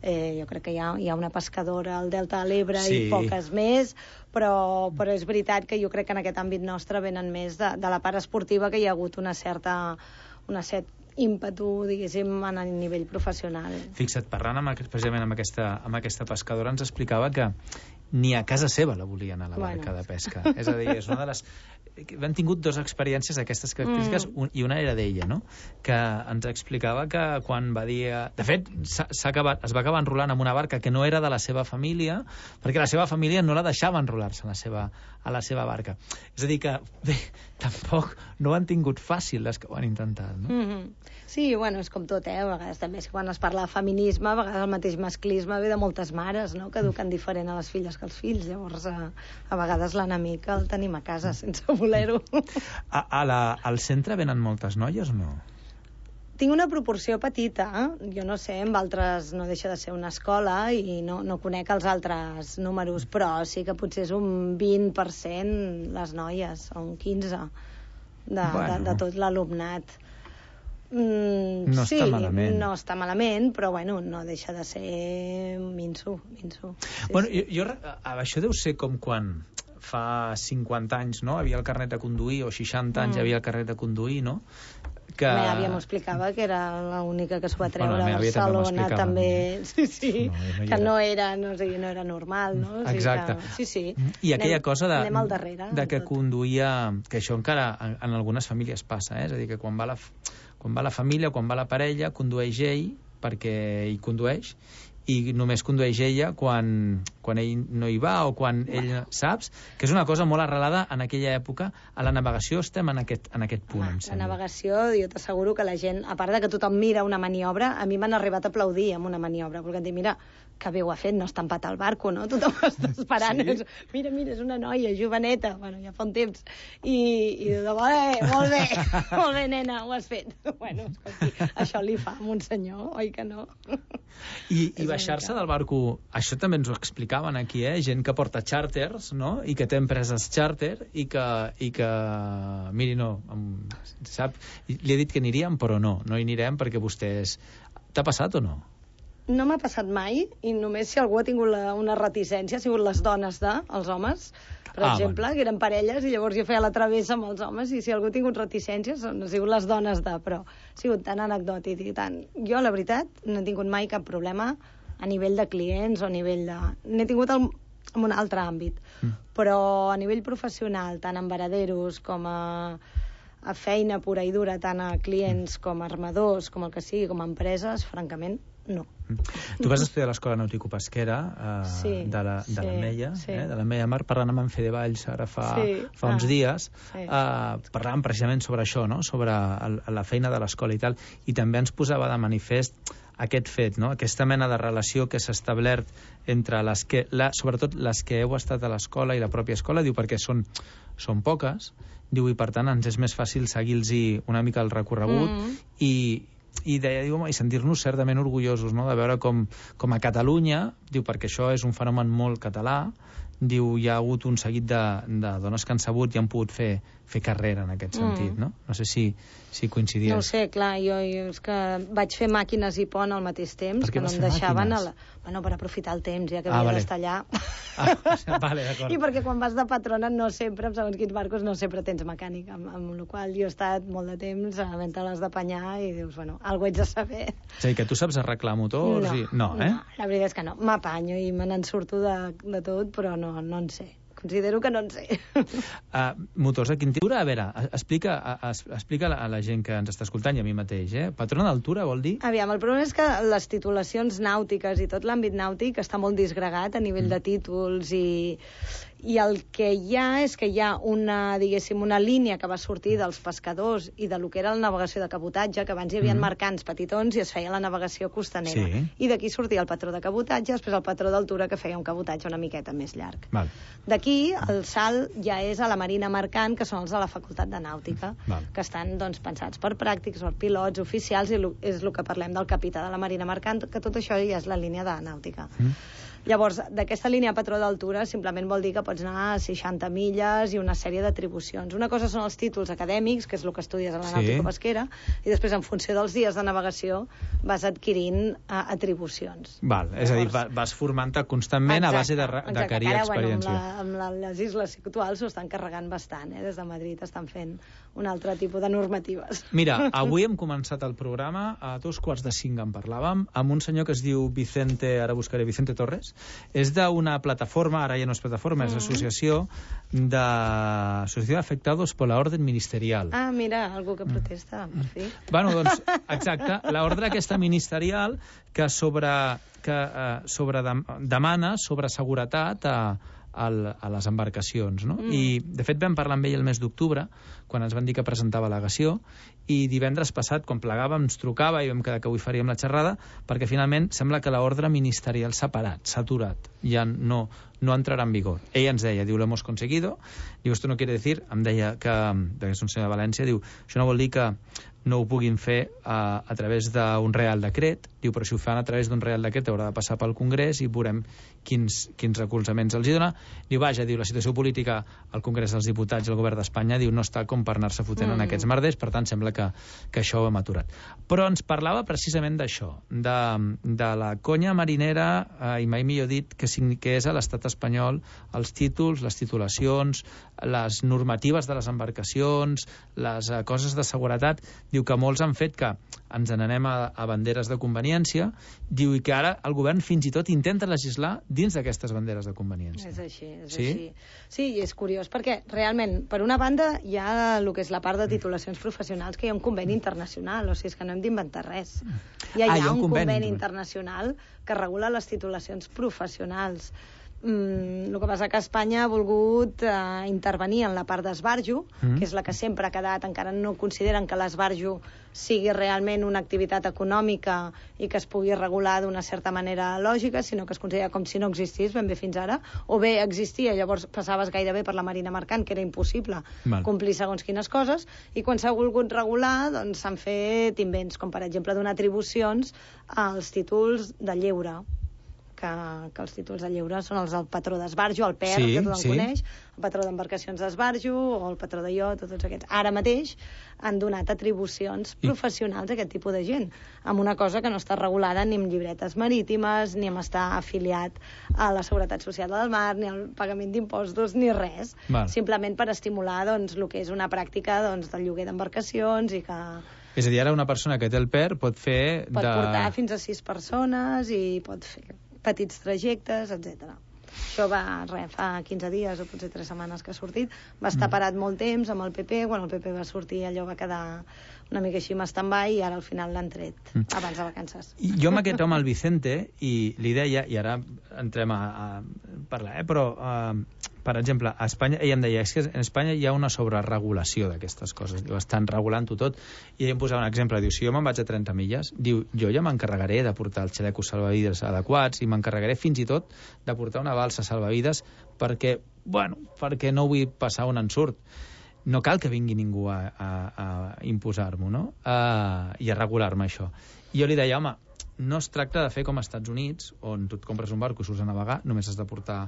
Speaker 12: jo crec que hi ha una pescadora al Delta de l'Ebre i poques més, però és veritat que jo crec que en aquest àmbit nostre venen més de la part esportiva, que hi ha hagut una cert ímpetu, diguéssim, a nivell professional.
Speaker 9: Fixa't, parlant precisament amb aquesta pescadora, ens explicava que ni a casa seva la volien a la barca de pesca. És a dir, és una de les... Hem tingut dues experiències d'aquestes característiques i una era d'ella, no? Que ens explicava que quan va dir... De fet, es va acabar enrolant amb una barca que no era de la seva família, perquè la seva família no la deixava enrolar-se a la seva barca. És a dir que, bé, tampoc no ho han tingut fàcil les que ho han intentat, no?
Speaker 12: Sí, bueno, és com tot, a vegades també quan es parla de feminisme, a vegades el mateix masclisme ve de moltes mares, no?, que eduquen diferent a les filles que els fills, llavors a vegades l'enemic el tenim a casa sense voler-ho.
Speaker 9: Al centre venen moltes noies o no?
Speaker 12: Tinc una proporció petita, jo no sé, amb altres no deixa de ser una escola i no conec els altres números, però sí que potser és un 20% les noies, o un 15% de tot l'alumnat.
Speaker 9: No està malament.
Speaker 12: No està malament, però bueno, no deixa de ser minso.
Speaker 9: Bueno, això deu ser com quan fa 50 anys, no?, havia el carnet de conduir, o 60 anys havia el carnet de conduir, no? Que...
Speaker 12: La meva àvia m'explicava que era l'única que s'ho va treure a Barcelona, també. Sí, que no era normal, no?
Speaker 9: Exacte.
Speaker 12: Sí.
Speaker 9: I aquella cosa
Speaker 12: anem al darrere,
Speaker 9: de que conduïa, que això encara en algunes famílies passa, és a dir, que quan va la família, quan va la parella, condueix ell, perquè ell condueix, i només condueix ella quan ell no hi va o quan ell... Saps? Que és una cosa molt arrelada en aquella època. A la navegació estem en aquest punt, em sembla.
Speaker 12: La navegació, jo t'asseguro que la gent, a part de que tothom mira una maniobra, a mi m'han arribat a aplaudir amb una maniobra, perquè em dic, mira, que bé ho ha fet, no està empatat el barco, no? Tothom està esperant. Sí? Mira, és una noia joveneta, bueno, ja fa un temps. I tothom, molt bé, nena, ho has fet. Bueno, escolti, això li fa a un senyor, oi que no?
Speaker 9: I baixar-se del barco, això també ens ho explicaven aquí, gent que porta xàrters, no?, i que té empreses xàrter i que miri, no, sap, li he dit que aniríem, però no hi anirem perquè vostès... T'ha passat o no?
Speaker 12: No m'ha passat mai, i només si algú ha tingut una reticència ha sigut les dones els homes, per exemple, que eren parelles, i llavors jo feia la travessa amb els homes, i si algú ha tingut reticències han sigut les dones però ha sigut tan anecdòtic i tant. Jo, la veritat, no he tingut mai cap problema a nivell de clients o a nivell de... N'he tingut en un altre àmbit, però a nivell professional, tant en varaderos com a feina pura i dura, tant a clients com a armadors, com el que sigui, com a empreses, francament, no.
Speaker 9: Tu vas estudiar a l'Escola Nàutico-Pesquera de la Meia, de la Meia Mar, parlant amb en Fede Valls ara fa uns dies, parlàvem precisament sobre això, no?, sobre la feina de l'escola i tal, i també ens posava de manifest aquest fet, no?, aquesta mena de relació que s'ha establert entre sobretot les que heu estat a l'escola i la pròpia escola, diu, perquè són poques, diu, i per tant ens és més fàcil seguir-los una mica el recorregut i deia, diu, i sentir-nos certament orgullosos, no?, de veure com a Catalunya, diu, perquè això és un fenomen molt català, diu, hi ha hagut un seguit de dones que han sabut i han pogut fer carrera en aquest sentit, no? No sé si coincidies.
Speaker 12: No ho sé, clar, jo és que vaig fer màquines i pont al mateix temps, que no em deixaven per aprofitar el temps, ja que havia d'estar allà.
Speaker 9: Vale, d'acord.
Speaker 12: I perquè quan vas de patrona no sempre, amb segons quins barcos, no sempre tens mecànic, amb la qual jo he estat molt de temps havent-te-les d'apanyar i dius, bueno, alguna ets de saber.
Speaker 9: És a dir, que tu saps arreglar motors? No,
Speaker 12: la veritat és que no. M'apanyo i me n'en surto de tot, però no en sé. Considero que no en sé.
Speaker 9: Motors a quin tipus? A veure, explica a la gent que ens està escoltant i a mi mateix, patrona d'altura vol dir?
Speaker 12: Aviam, el problema és que les titulacions nàutiques i tot l'àmbit nàutic està molt disgregat a nivell de títols i el que hi ha és que hi ha una línia que va sortir dels pescadors i de lo que era la navegació de cabotatge, que abans hi havia mercants petitons i es feia la navegació costanera. Sí. I d'aquí sortia el patró de cabotatge, després el patró d'altura, que feia un cabotatge una miqueta més llarg. D'aquí el salt ja és a la marina mercant, que són els de la Facultat de Nàutica, que estan pensats per pràctics, per pilots, oficials, i és el que parlem del capità de la marina mercant, que tot això ja és la línia de nàutica. Llavors, d'aquesta línia patró d'altura simplement vol dir que pots anar a 60 milles i una sèrie d'atribucions. Una cosa són els títols acadèmics, que és el que estudies a la nàutico-pesquera, i després, en funció dels dies de navegació, vas adquirint atribucions.
Speaker 9: És a dir, vas formant-te constantment a base d'acquerir experiència.
Speaker 12: Amb les isles actuals s'ho estan carregant bastant, des de Madrid estan fent un altre tipus de normatives.
Speaker 9: Mira, avui hem començat el programa, a 4:45 en parlàvem, amb un senyor que es diu Vicente Torres. És d'una plataforma, ara ja no és plataforma, és associació d'afectados por la orden ministerial.
Speaker 12: Mira, algú que protesta, per fi.
Speaker 9: Bueno, doncs, exacte, l'ordre aquesta ministerial que demana sobre seguretat a les embarcacions, no? I, de fet, vam parlar amb ell el mes d'octubre, quan ens van dir que presentava al·legació, i divendres passat, quan plegàvem, ens trucava i vam quedar que avui faríem la xerrada, perquè finalment sembla que l'ordre ministerial s'ha parat, s'ha aturat, ja no entrarà en vigor. Ell ens deia, diu, lo hemos conseguido, diu, esto no quiere decir, em deia que és un senyor de València, diu, això no vol dir que no ho puguin fer a través d'un real decret, diu, però si ho fan a través d'un real decret haurà de passar pel Congrés i veurem quins recolzaments els hi dona. Diu, vaja, diu, la situació política al Congrés dels Diputats i al Govern d'Espanya, diu, no està com per anar-se fotent en aquests merders, per tant sembla que això ho hem aturat. Però ens parlava precisament d'això, de la conya marinera, i mai millor dit, que és a l'estat espanyol els títols, les titulacions, les normatives de les embarcacions, les coses de seguretat. Diu que molts han fet que ens n'anem a banderes de conveniència, diu, i que ara el govern fins i tot intenta legislar dins d'aquestes banderes de conveniència.
Speaker 12: És així, és així. Sí, i és curiós, perquè realment, per una banda, hi ha el que és la part de titulacions professionals, que hi ha un conveni internacional, o sigui, és que no hem d'inventar res. Ja hi ha un conveni internacional que regula les titulacions professionals. El que passa que Espanya ha volgut intervenir en la part d'esbarjo, que és la que sempre ha quedat, encara no consideren que l'esbarjo sigui realment una activitat econòmica i que es pugui regular d'una certa manera lògica, sinó que es considera com si no existís ben bé fins ara, o bé existia, llavors passaves gairebé per la marina mercant, que era impossible complir segons quines coses, i quan s'ha volgut regular, doncs s'han fet invents, com per exemple donar atribucions als títols de lleure, que els títols de lleure són els del patró d'esbarjo, el PER, que tothom coneix, el patró d'embarcacions d'esbarjo o el patró de iot, tots aquests. Ara mateix han donat atribucions professionals a aquest tipus de gent, amb una cosa que no està regulada ni amb llibretes marítimes, ni amb estar afiliat a la Seguretat Social del Mar, ni al pagament d'impostos, ni res. Simplement per estimular doncs, el que és una pràctica doncs, del lloguer d'embarcacions i que...
Speaker 9: És a dir, ara una persona que té el PER pot fer...
Speaker 12: Pot portar fins a 6 persones i pot fer petits trajectes, etc. Això va, fa 15 dies o potser 3 setmanes que ha sortit. Va estar parat molt temps amb el PP. Quan el PP va sortir, allò va quedar una mica així en stand-by, i ara al final l'han tret, abans de vacances.
Speaker 9: Jo amb aquest home, el Vicente, i li deia, i ara entrem a parlar, però, per exemple, a Espanya, ell em deia, és que en Espanya hi ha una sobreregulació d'aquestes coses, diu, estan regulant-ho tot, i ell em posava un exemple, diu, si jo me'n vaig a 30 milles, diu, jo ja m'encarregaré de portar els xalecos salvavides adequats, i m'encarregaré fins i tot de portar una balsa salvavides perquè no vull passar un ensurt. No cal que vingui ningú a imposar-m'ho, no? I a regular-me això. I jo li deia, home, no es tracta de fer com als Estats Units, on tu et compres un barco i surts a navegar, només has de portar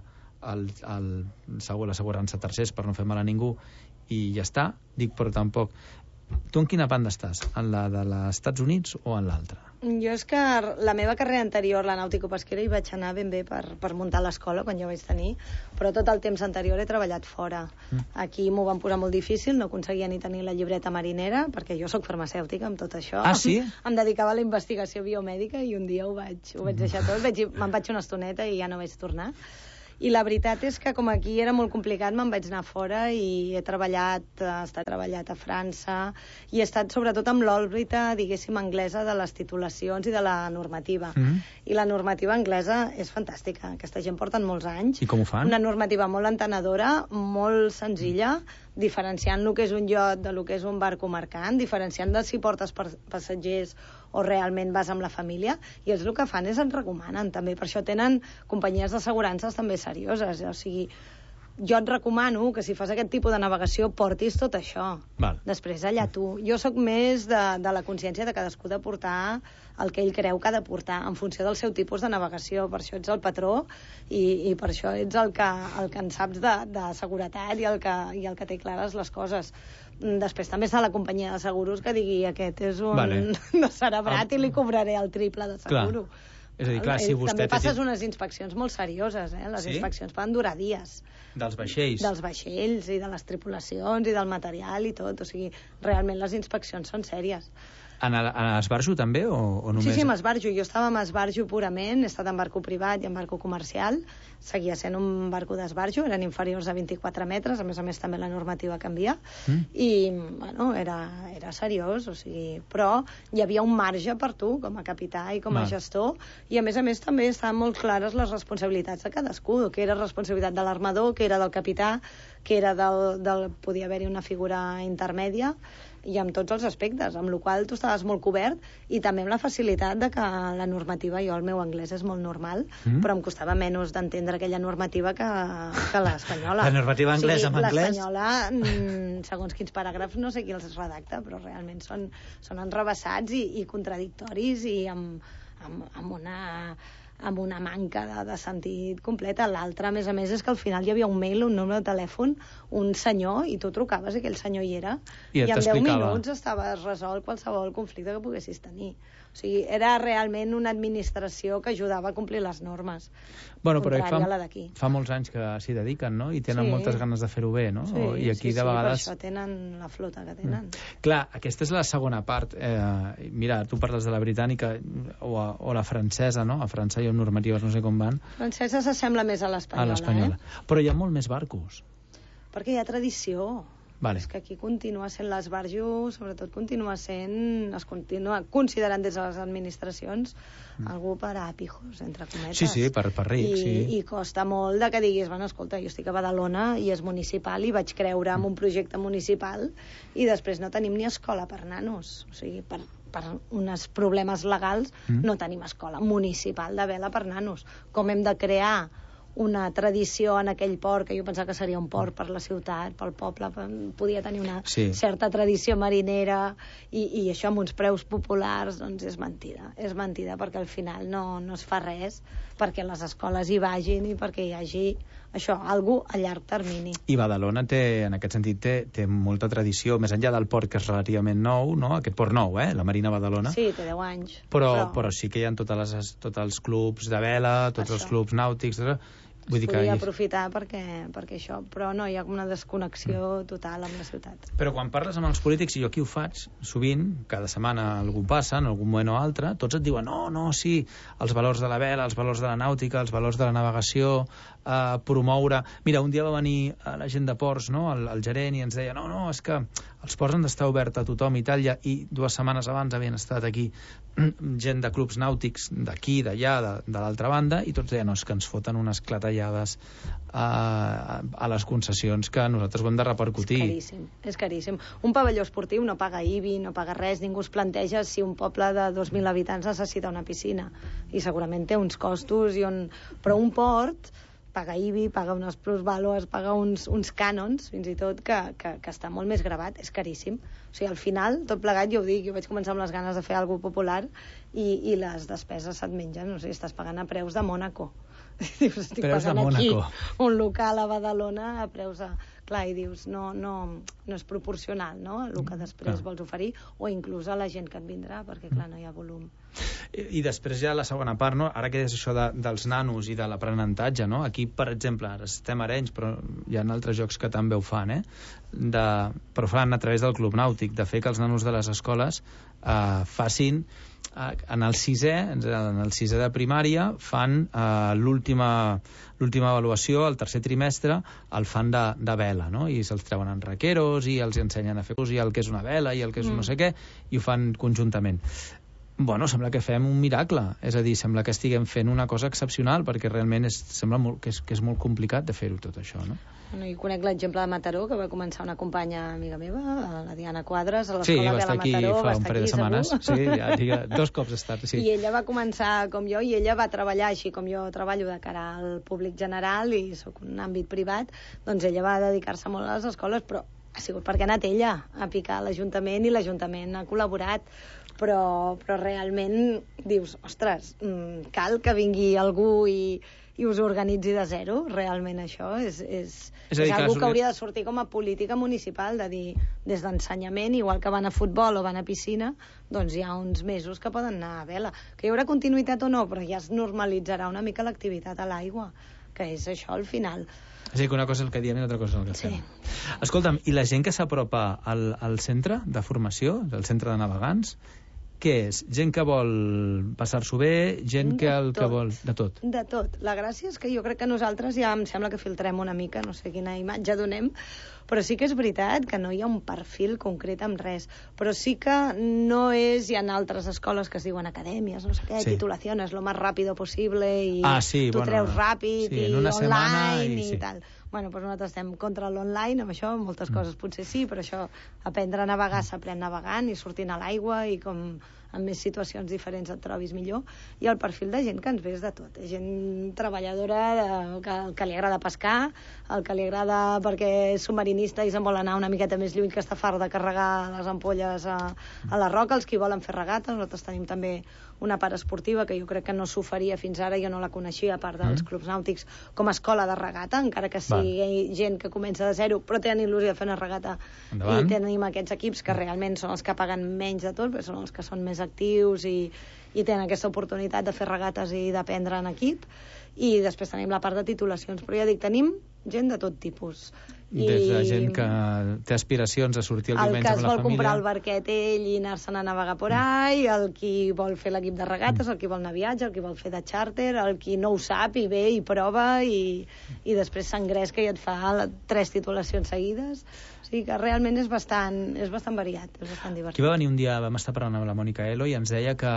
Speaker 9: l'assegurança tercers per no fer mal a ningú i ja està. Dic, però tampoc... Tu en quina banda estàs? En la de els Estats Units o en l'altra?
Speaker 12: Jo és que la meva carrera anterior, la nàutico-pesquera, hi vaig anar ben bé per muntar l'escola quan jo vaig tenir, però tot el temps anterior he treballat fora. Aquí m'ho van posar molt difícil, no aconseguia ni tenir la llibreta marinera, perquè jo sóc farmacèutica amb tot això.
Speaker 9: Ah, sí?
Speaker 12: Em dedicava a la investigació biomèdica i un dia ho vaig deixar tot. Me'n vaig una estoneta i ja no vaig tornar. I la veritat és que com aquí era molt complicat, me'n vaig anar fora i he treballat a França i he estat sobretot amb l'òrbita, diguéssim, anglesa de les titulacions i de la normativa. I la normativa anglesa és fantàstica. Aquesta gent porten molts anys.
Speaker 9: I com ho fan?
Speaker 12: Una normativa molt entenedora, molt senzilla, diferenciant el que és un iot de lo que és un barco mercant, diferenciant de si portes passatgers o realment vas amb la família, i ells el que fan és ens recomanen també, per això tenen companyies d'assegurances també serioses, o sigui, jo et recomano que si fas aquest tipus de navegació portis tot això. Després allà tu. Jo sóc més de la consciència de cadascú de portar el que ell creu que ha de portar en funció del seu tipus de navegació. Per això ets el patró i per això ets el que en saps de seguretat i el que té clares les coses. Després també està la companyia de seguros que digui aquest és un descerebrat i li cobraré el triple de seguro.
Speaker 9: És a dir, clar, si vostè...
Speaker 12: També passes unes inspeccions molt serioses, Les inspeccions poden durar dies.
Speaker 9: Dels vaixells.
Speaker 12: Dels vaixells i de les tripulacions i del material i tot. O sigui, realment les inspeccions són sèries.
Speaker 9: En esbarjo també o només?
Speaker 12: Sí, m'esbarjo. Jo estava amb esbarjo purament, he estat en barco privat i en barco comercial, seguia sent un barco d'esbarjo, eren inferiors a 24 metres, a més també la normativa canvia, i bueno, era seriós, o sigui, però hi havia un marge per tu, com a capità i com a gestor, i a més també estaven molt clares les responsabilitats de cadascú, que era responsabilitat de l'armador, que era del capità, que era podia haver-hi una figura intermèdia, i amb tots els aspectes, amb la qual tu estaves molt cobert, i també amb la facilitat de que la normativa, jo el meu anglès és molt normal, però em costava menys d'entendre aquella normativa que l'espanyola.
Speaker 9: La normativa anglesa amb anglès?
Speaker 12: L'espanyola, segons quins paràgrafs, no sé qui els redacta, però realment són enrevessats i contradictoris i amb una manca de sentit completa. L'altre, a més, és que al final hi havia un mail, un número de telèfon, un senyor, i tu trucaves i aquell senyor hi era, i en 10 minuts estaves resolt qualsevol conflicte que poguessis tenir. O sigui, era realment una administració que ajudava a complir les normes.
Speaker 9: Bueno, però fa molts anys que s'hi dediquen, no? I tenen moltes ganes de fer-ho bé, no? I aquí de vegades...
Speaker 12: per això tenen la flota que tenen.
Speaker 9: Clar, aquesta és la segona part. Mira, tu parles de la britànica o la francesa, no? A França hi ha normatives, no sé com van.
Speaker 12: La francesa s'assembla més a l'espanyola.
Speaker 9: Però hi ha molt més barcos.
Speaker 12: Perquè hi ha tradició.
Speaker 9: Vale.
Speaker 12: És que aquí continua sent l'esbarjo, sobretot es continua considerant des de les administracions algú per a pijos, entre cometes.
Speaker 9: Sí, per rics.
Speaker 12: I costa molt de que diguis, bueno, escolta, jo estic a Badalona i és municipal i vaig creure en un projecte municipal i després no tenim ni escola per nanos. O sigui, per uns problemes legals no tenim escola municipal de vela per nanos. Com hem de crear una tradició en aquell port, que jo pensava que seria un port per la ciutat, pel poble, podia tenir una certa tradició marinera, i això amb uns preus populars, doncs és mentida, perquè al final no es fa res perquè les escoles hi vagin i perquè hi hagi això, algú a llarg termini.
Speaker 9: I Badalona en aquest sentit té molta tradició, més enllà del port que és relativament nou, no? Aquest port nou, la Marina Badalona.
Speaker 12: Sí, té 10 anys.
Speaker 9: Però sí que hi ha tots els clubs de vela, tots els clubs nàutics,
Speaker 12: podria aprofitar perquè això, però no, hi ha una desconnexió total amb la ciutat.
Speaker 9: Però quan parles amb els polítics, i jo aquí ho faig sovint, cada setmana algú passa, en algun moment o altre, tots et diuen, no, sí, els valors de la vela, els valors de la nàutica, els valors de la navegació, promoure... Mira, un dia va venir la gent de ports, no?, el gerent, i ens deia, no, és que els ports han d'estar oberts a tothom i tal, i 2 setmanes abans havien estat aquí gent de clubs nàutics d'aquí, d'allà, de l'altra banda, i tots deien, no, és que ens foten unes clatellades a les concessions que nosaltres ho hem de repercutir.
Speaker 12: És caríssim. Un pavelló esportiu no paga IBI, no paga res, ningú es planteja si un poble de 2.000 habitants necessita una piscina, i segurament té uns costos, però un port paga IBI, paga unes plusvàlues, paga uns cànons, fins i tot, que està molt més gravat, és caríssim. O sigui, al final, tot plegat, jo ho dic, jo vaig començar amb les ganes de fer alguna cosa popular i les despeses se't mengen, no sé, estàs pagant a preus de Mònaco. Dius, estic pagant aquí un local a Badalona a preus de... Clar, i dius, no és proporcional, no?, el que després vols oferir, o inclús a la gent que et vindrà, perquè, clar, no hi ha volum.
Speaker 9: I després ja la segona part, no?, ara que és això dels nanos i de l'aprenentatge, no?, aquí, per exemple, ara estem a Arenys, però hi ha altres jocs que també ho fan, però fan a través del club nàutic, de fer que els nanos de les escoles facin... En el sisè de primària fan l'última avaluació, el tercer trimestre, el fan de vela, no? I se'ls treuen en raqueros i els ensenyen a fer i el que és una vela i el que és no sé què, i ho fan conjuntament. Bueno, sembla que fem un miracle, és a dir, sembla que estiguem fent una cosa excepcional, perquè realment sembla que és molt complicat de fer-ho tot això, no?
Speaker 12: Bueno, jo conec l'exemple de Mataró, que va començar una companya amiga meva, la Diana Quadres, a l'escola de la Mataró.
Speaker 9: Sí, va estar aquí fa un parell de setmanes. Sí, ja, 2 cops ha estat, sí.
Speaker 12: I ella va començar com jo, i ella va treballar així com jo treballo de cara al públic general i sóc un àmbit privat, doncs ella va dedicar-se molt a les escoles, però ha sigut perquè ha anat ella a picar a l'Ajuntament i l'Ajuntament ha col·laborat. Però realment dius, ostres, cal que vingui algú i us organitzi de zero, realment això és algú que hauria de sortir com a política municipal, de dir, des d'ensenyament, igual que van a futbol o van a piscina, doncs hi ha uns mesos que poden anar a vela. Que hi haurà continuïtat o no, però ja es normalitzarà una mica l'activitat a l'aigua, que és això al final.
Speaker 9: És a dir, que una cosa és el que diem i l'altra cosa és el que fem. Escolta'm, i la gent que s'apropa al centre de formació, del centre de navegants, què és? Gent que vol passar-s'ho bé, gent que vol... De tot.
Speaker 12: De tot. La gràcia és que jo crec que nosaltres ja em sembla que filtrem una mica, no sé quina imatge donem, però sí que és veritat que no hi ha un perfil concret amb res. Però sí que no és... Hi ha altres escoles que es diuen acadèmies, no sé què, titulaciones, lo más rápido posible, i tu treus ràpid, i online, i tal. Bueno, doncs nosaltres estem contra l'online, amb això, moltes coses potser sí, però això, aprendre a navegar s'aprèn navegant i sortint a l'aigua i com en més situacions diferents et trobis millor. I el perfil de gent que ens ve és de tot. Gent treballadora, que li agrada pescar, el que li agrada perquè és submarinista i se'n vol anar una miqueta més lluny, que està fart de carregar les ampolles a la roca, els que volen fer regates. Nosaltres tenim també una part esportiva que jo crec que no s'oferia fins ara, jo no la coneixia, a part dels clubs nàutics, com a escola de regata, encara que sigui gent que comença de zero, però tenen il·lusió de fer una regata. I tenim aquests equips que realment són els que paguen menys de tot, però són els que són més actius i tenen aquesta oportunitat de fer regates i d'aprendre en equip. I després tenim la part de titulacions, però ja dic, tenim gent de tot tipus.
Speaker 9: Des de gent que té aspiracions a sortir el diumenge amb la família.
Speaker 12: El que es vol comprar el barquet ell i anar-se'n a navegar por ahí, el qui vol fer l'equip de regates, el qui vol anar a viatge, el qui vol fer de charter, el qui no ho sap i ve i prova i després s'engresca i et fa 3 titulacions seguides. O sigui que realment és bastant variat, és bastant divertit.
Speaker 9: Aquí va venir un dia, vam estar parlant amb la Mònica Elo i ens deia que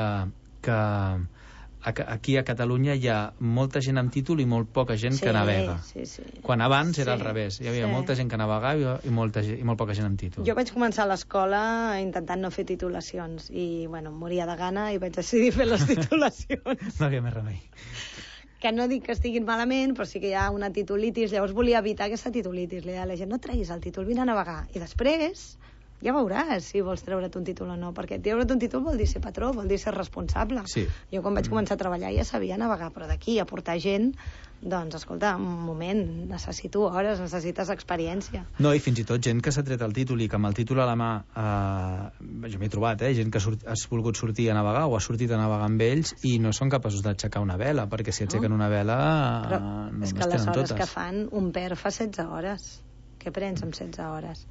Speaker 9: aquí a Catalunya hi ha molta gent amb títol i molt poca gent que navega. Quan abans era al revés. Hi havia molta gent que navegava i molt poca gent amb títol.
Speaker 12: Jo vaig començar a l'escola intentant no fer titulacions i, bueno, em moria de gana i vaig decidir fer les titulacions.
Speaker 9: No havia més remei.
Speaker 12: Que no dic que estiguin malament, però sí que hi ha una titulitis. Llavors volia evitar aquesta titulitis. Li deia a la gent, no treguis el títol, vine a navegar. I després ja veuràs si vols treure't un títol o no, perquè treure't un títol vol dir ser patró, vol dir ser responsable. Jo quan vaig començar a treballar ja sabia navegar, però d'aquí a portar gent, doncs escolta, un moment, necessito hores, necessites experiència.
Speaker 9: No, i fins i tot gent que s'ha tret el títol i que amb el títol a la mà jo m'he trobat, gent que has volgut sortir a navegar o ha sortit a navegar amb ells i no són capaços d'aixecar una vela, perquè si aixequen una vela no les tenen totes. És que
Speaker 12: les hores que fan, un per fa 16 hores. Què prens amb 16 hores?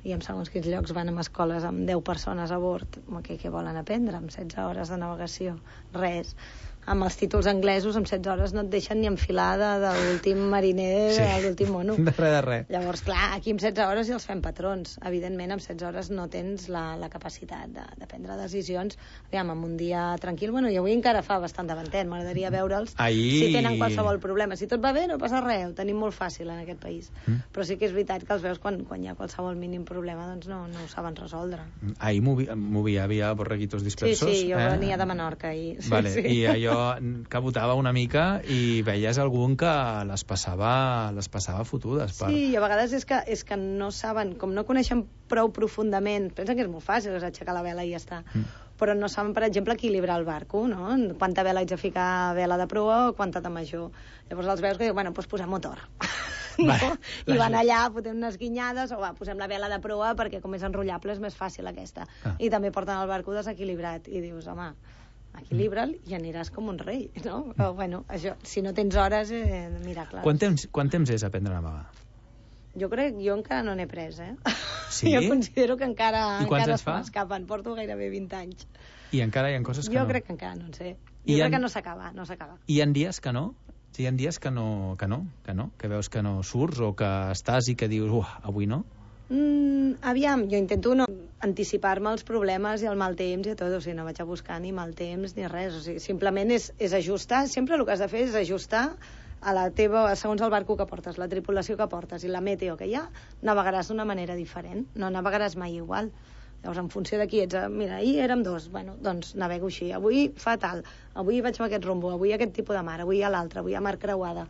Speaker 12: I en segons quins llocs van a escoles amb 10 persones a bord. Què volen aprendre amb 16 hores de navegació? Res. Amb els títols anglesos, amb 16 hores no et deixen ni enfilada de l'últim mariner, de l'últim mono.
Speaker 9: De res.
Speaker 12: Llavors, clar, aquí amb 16 hores ja els fem patrons. Evidentment, amb 16 hores no tens la capacitat de prendre decisions. Aviam, amb un dia tranquil, bueno, i avui encara fa bastant davantet, m'agradaria veure'ls si tenen qualsevol problema. Si tot va bé, no passa res, ho tenim molt fàcil en aquest país. Però sí que és veritat que els veus quan hi ha qualsevol mínim problema, doncs no ho saben resoldre.
Speaker 9: Ahir havia borreguitos dispersos.
Speaker 12: Sí, jo venia de Menorca ahir.
Speaker 9: I allò que botava una mica i veies algun que les passava fotudes.
Speaker 12: Sí, i a vegades és que no saben, com no coneixen prou profundament, pensen que és molt fàcil, és aixecar la vela i ja està. Però no saben, per exemple, equilibrar el barco, no? Quanta vela haig de ficar vela de proa o quanta de major. Llavors els veus que diuen, bueno, doncs posem motor. No? I van allà, fotem unes guinyades o posem la vela de proa perquè com és enrotllable és més fàcil aquesta. I també porten el barco desequilibrat i dius, home, equilibra'l i aniràs com un rei, no? Però, bueno, això, si no tens hores, miracles.
Speaker 9: Quant temps és aprendre a navegar?
Speaker 12: Jo encara no n'he pres,
Speaker 9: Sí?
Speaker 12: Jo considero que encara
Speaker 9: es
Speaker 12: m'escapen. Porto gairebé 20 anys.
Speaker 9: I encara hi ha coses que no?
Speaker 12: Jo crec que encara no en sé. Jo crec que no s'acaba.
Speaker 9: I hi ha dies que no? Hi ha dies que veus que no surts o que estàs i que dius, avui no?
Speaker 12: Aviam, jo intento no anticipar-me als problemes i al mal temps i a tot, o sigui, no vaig a buscar ni mal temps ni res, o sigui, simplement és ajustar, sempre el que has de fer és ajustar a la teva, segons el barco que portes, la tripulació que portes i la meteo que hi ha, navegaràs d'una manera diferent, no navegaràs mai igual. Llavors, en funció de qui ets, mira, ahir érem 2, bueno, doncs navego així, avui fa tal, avui vaig amb aquest rumbo, avui aquest tipus de mar, avui a l'altre, avui a mar creuada.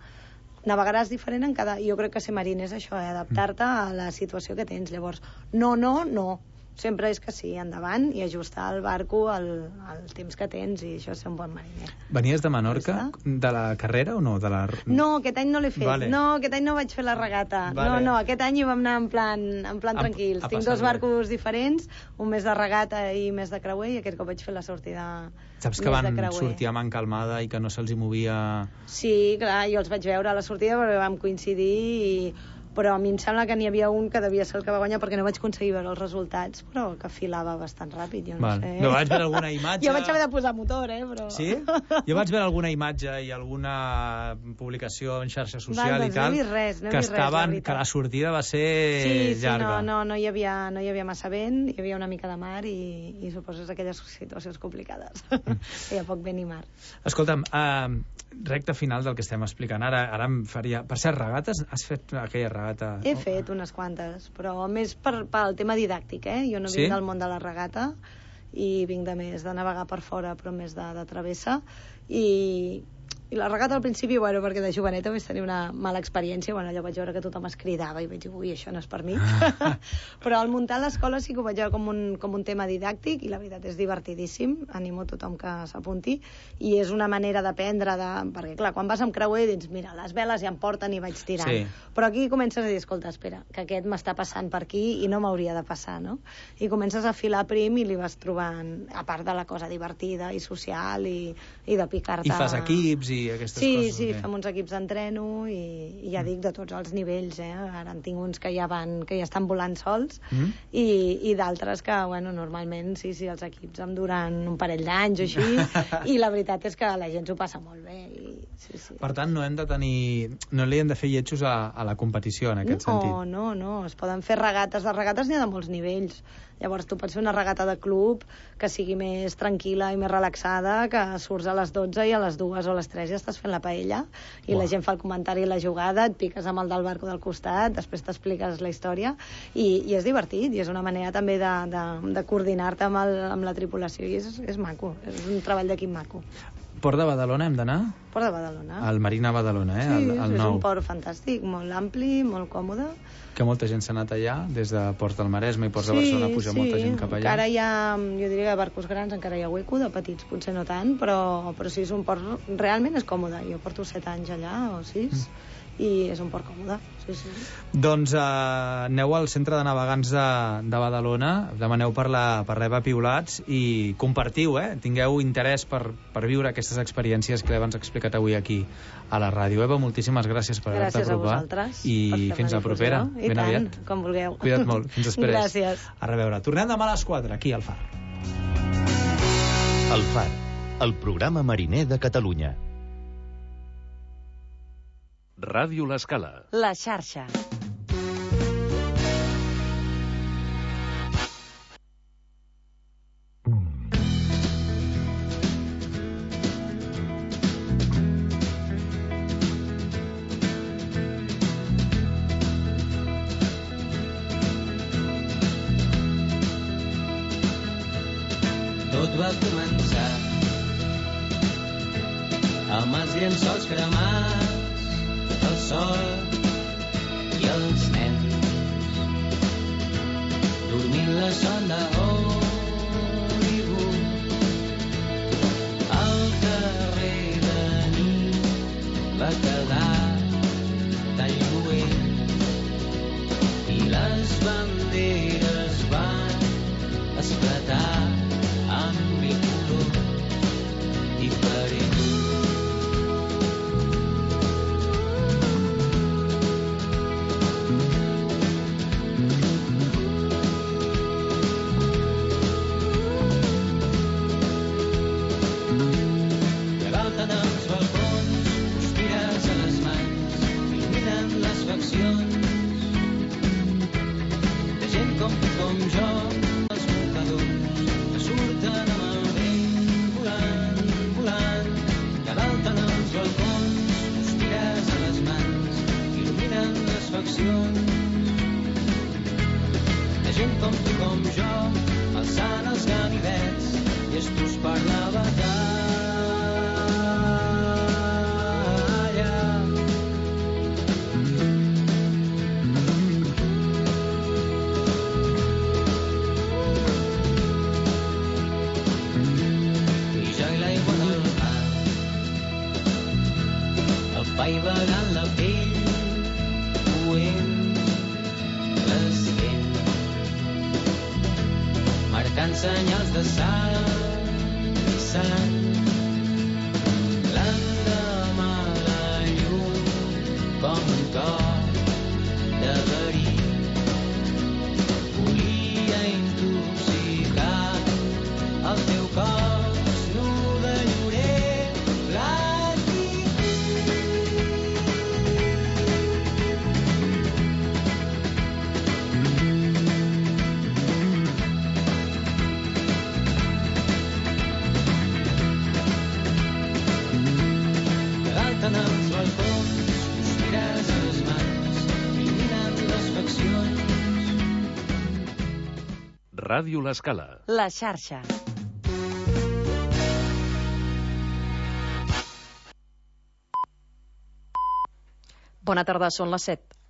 Speaker 12: Navegaràs diferent en cada... Jo crec que ser mariner és això, adaptar-te a la situació que tens. Llavors, no. Sempre és que sí, endavant i ajustar el barco al temps que tens i això és ser un bon mariner.
Speaker 9: Venies de Menorca? De la carrera o no?
Speaker 12: No, aquest any no l'he fet. Vale. No, aquest any no vaig fer la regata. Vale. No, aquest any hi vam anar en plan tranquils. Tinc 2 barcos diferents, un més de regata i més de creuer, i aquest cop vaig fer la sortida
Speaker 9: Saps que van sortir a man calmada i que no se'ls hi movia...
Speaker 12: Sí, clar, jo els vaig veure a la sortida perquè vam coincidir i però a mi em sembla que n'hi havia un que devia ser el que va guanyar perquè no vaig aconseguir veure els resultats, però que filava bastant ràpid, jo no sé.
Speaker 9: No vaig veure alguna imatge...
Speaker 12: Jo vaig haver de posar motor, però...
Speaker 9: Sí? Jo vaig veure alguna imatge i alguna publicació en xarxa social i tal, que la sortida va ser llarga.
Speaker 12: Sí, no hi havia massa vent, hi havia una mica de mar i suposo aquelles situacions complicades. Hi ha poc vent i mar.
Speaker 9: Escolta'm, recta final del que estem explicant ara em faria... Per ser regates, has fet aquella regata?
Speaker 12: He fet unes quantes, però més pel tema didàctic, Jo no vinc del món de la regata i vinc de més de navegar per fora, però més de travessa, i la regata al principi, perquè de joveneta vaig tenir una mala experiència, allò vaig veure que tothom es cridava i vaig dir, ui, això no és per mi. Però al muntar l'escola sí que ho vaig veure com un tema didàctic i la veritat és divertidíssim, animo tothom que s'apunti, i és una manera d'aprendre, perquè clar, quan vas amb creuer dius, mira, les veles ja em porten i vaig tirant. Sí. Però aquí comences a dir, escolta, espera, que aquest m'està passant per aquí i no m'hauria de passar, no? I comences a filar prim i li vas trobant, a part de la cosa divertida i social i de picar-te...
Speaker 9: I fas equips i aquestes coses.
Speaker 12: Sí, fem uns equips d'entreno i ja dic de tots els nivells, Ara en tinc uns que ja estan volant sols i d'altres que, normalment sí, els equips em duran un parell d'anys o així i la veritat és que la gent s'ho passa molt bé. Sí.
Speaker 9: Per tant, no li hem de fer lletjos a la competició en aquest sentit.
Speaker 12: No, es poden fer regates. De regates n'hi ha de molts nivells. Llavors tu pots fer una regata de club que sigui més tranquil·la i més relaxada, que surts a les 12 i a les 2 o a les 3 ja estàs fent la paella i la gent fa el comentari i la jugada, et piques amb el del barco del costat, després t'expliques la història i és divertit i és una manera també de coordinar-te amb la tripulació i és maco, és un treball d'equip maco.
Speaker 9: Port de Badalona hem d'anar?
Speaker 12: Port de Badalona.
Speaker 9: El Marina Badalona,
Speaker 12: Sí,
Speaker 9: el
Speaker 12: és
Speaker 9: nou.
Speaker 12: un port fantàstic, molt ampli, molt còmode.
Speaker 9: Que molta gent s'ha anat allà, des de Port del Maresme i Ports de Barcelona puja molta gent cap allà.
Speaker 12: Encara hi ha, jo diria que barcos grans encara hi ha hueco, de petits potser no tant, però sí, és un port, realment és còmode. Jo porto 7 anys allà, o 6, i és un port còmode, sí.
Speaker 9: Doncs aneu al centre de navegants de Badalona, demaneu per l'Eva Piulats i compartiu, tingueu interès per viure aquestes experiències que l'Eva ens ha explicat avui aquí a la ràdio. Eva, moltíssimes gràcies per haver-te apropat.
Speaker 12: Gràcies a vosaltres.
Speaker 9: I fins la propera.
Speaker 12: I tant, com vulgueu.
Speaker 9: Cuida't molt, fins després.
Speaker 12: Gràcies.
Speaker 9: A reveure. Tornem demà a les 4, aquí al Far.
Speaker 8: El Far, el programa mariner de Catalunya.
Speaker 10: Ràdio L'Escala.
Speaker 7: La xarxa.
Speaker 13: Tot va començar amb els llençols cremats, el sol i els nens dormint la son de Hollywood. El carrer de nit va quedar tan lluent i les banderes van esclatar amb mil colors diferents. De gent com tu, com jo, els mocadors que surten amb el vent volant, volant, que dalt en els balcons sospires a les mans, il·luminen les faccions. De gent com tu, com jo, alçant els ganivets, llestos per la batalla. Apaivagant la pell, coent l'esquent, marcant senyals de sal i sang. L'endemà la llum com un cor de
Speaker 10: Ràdio L'Escala.
Speaker 7: La xarxa. Bona tarda, són les 7.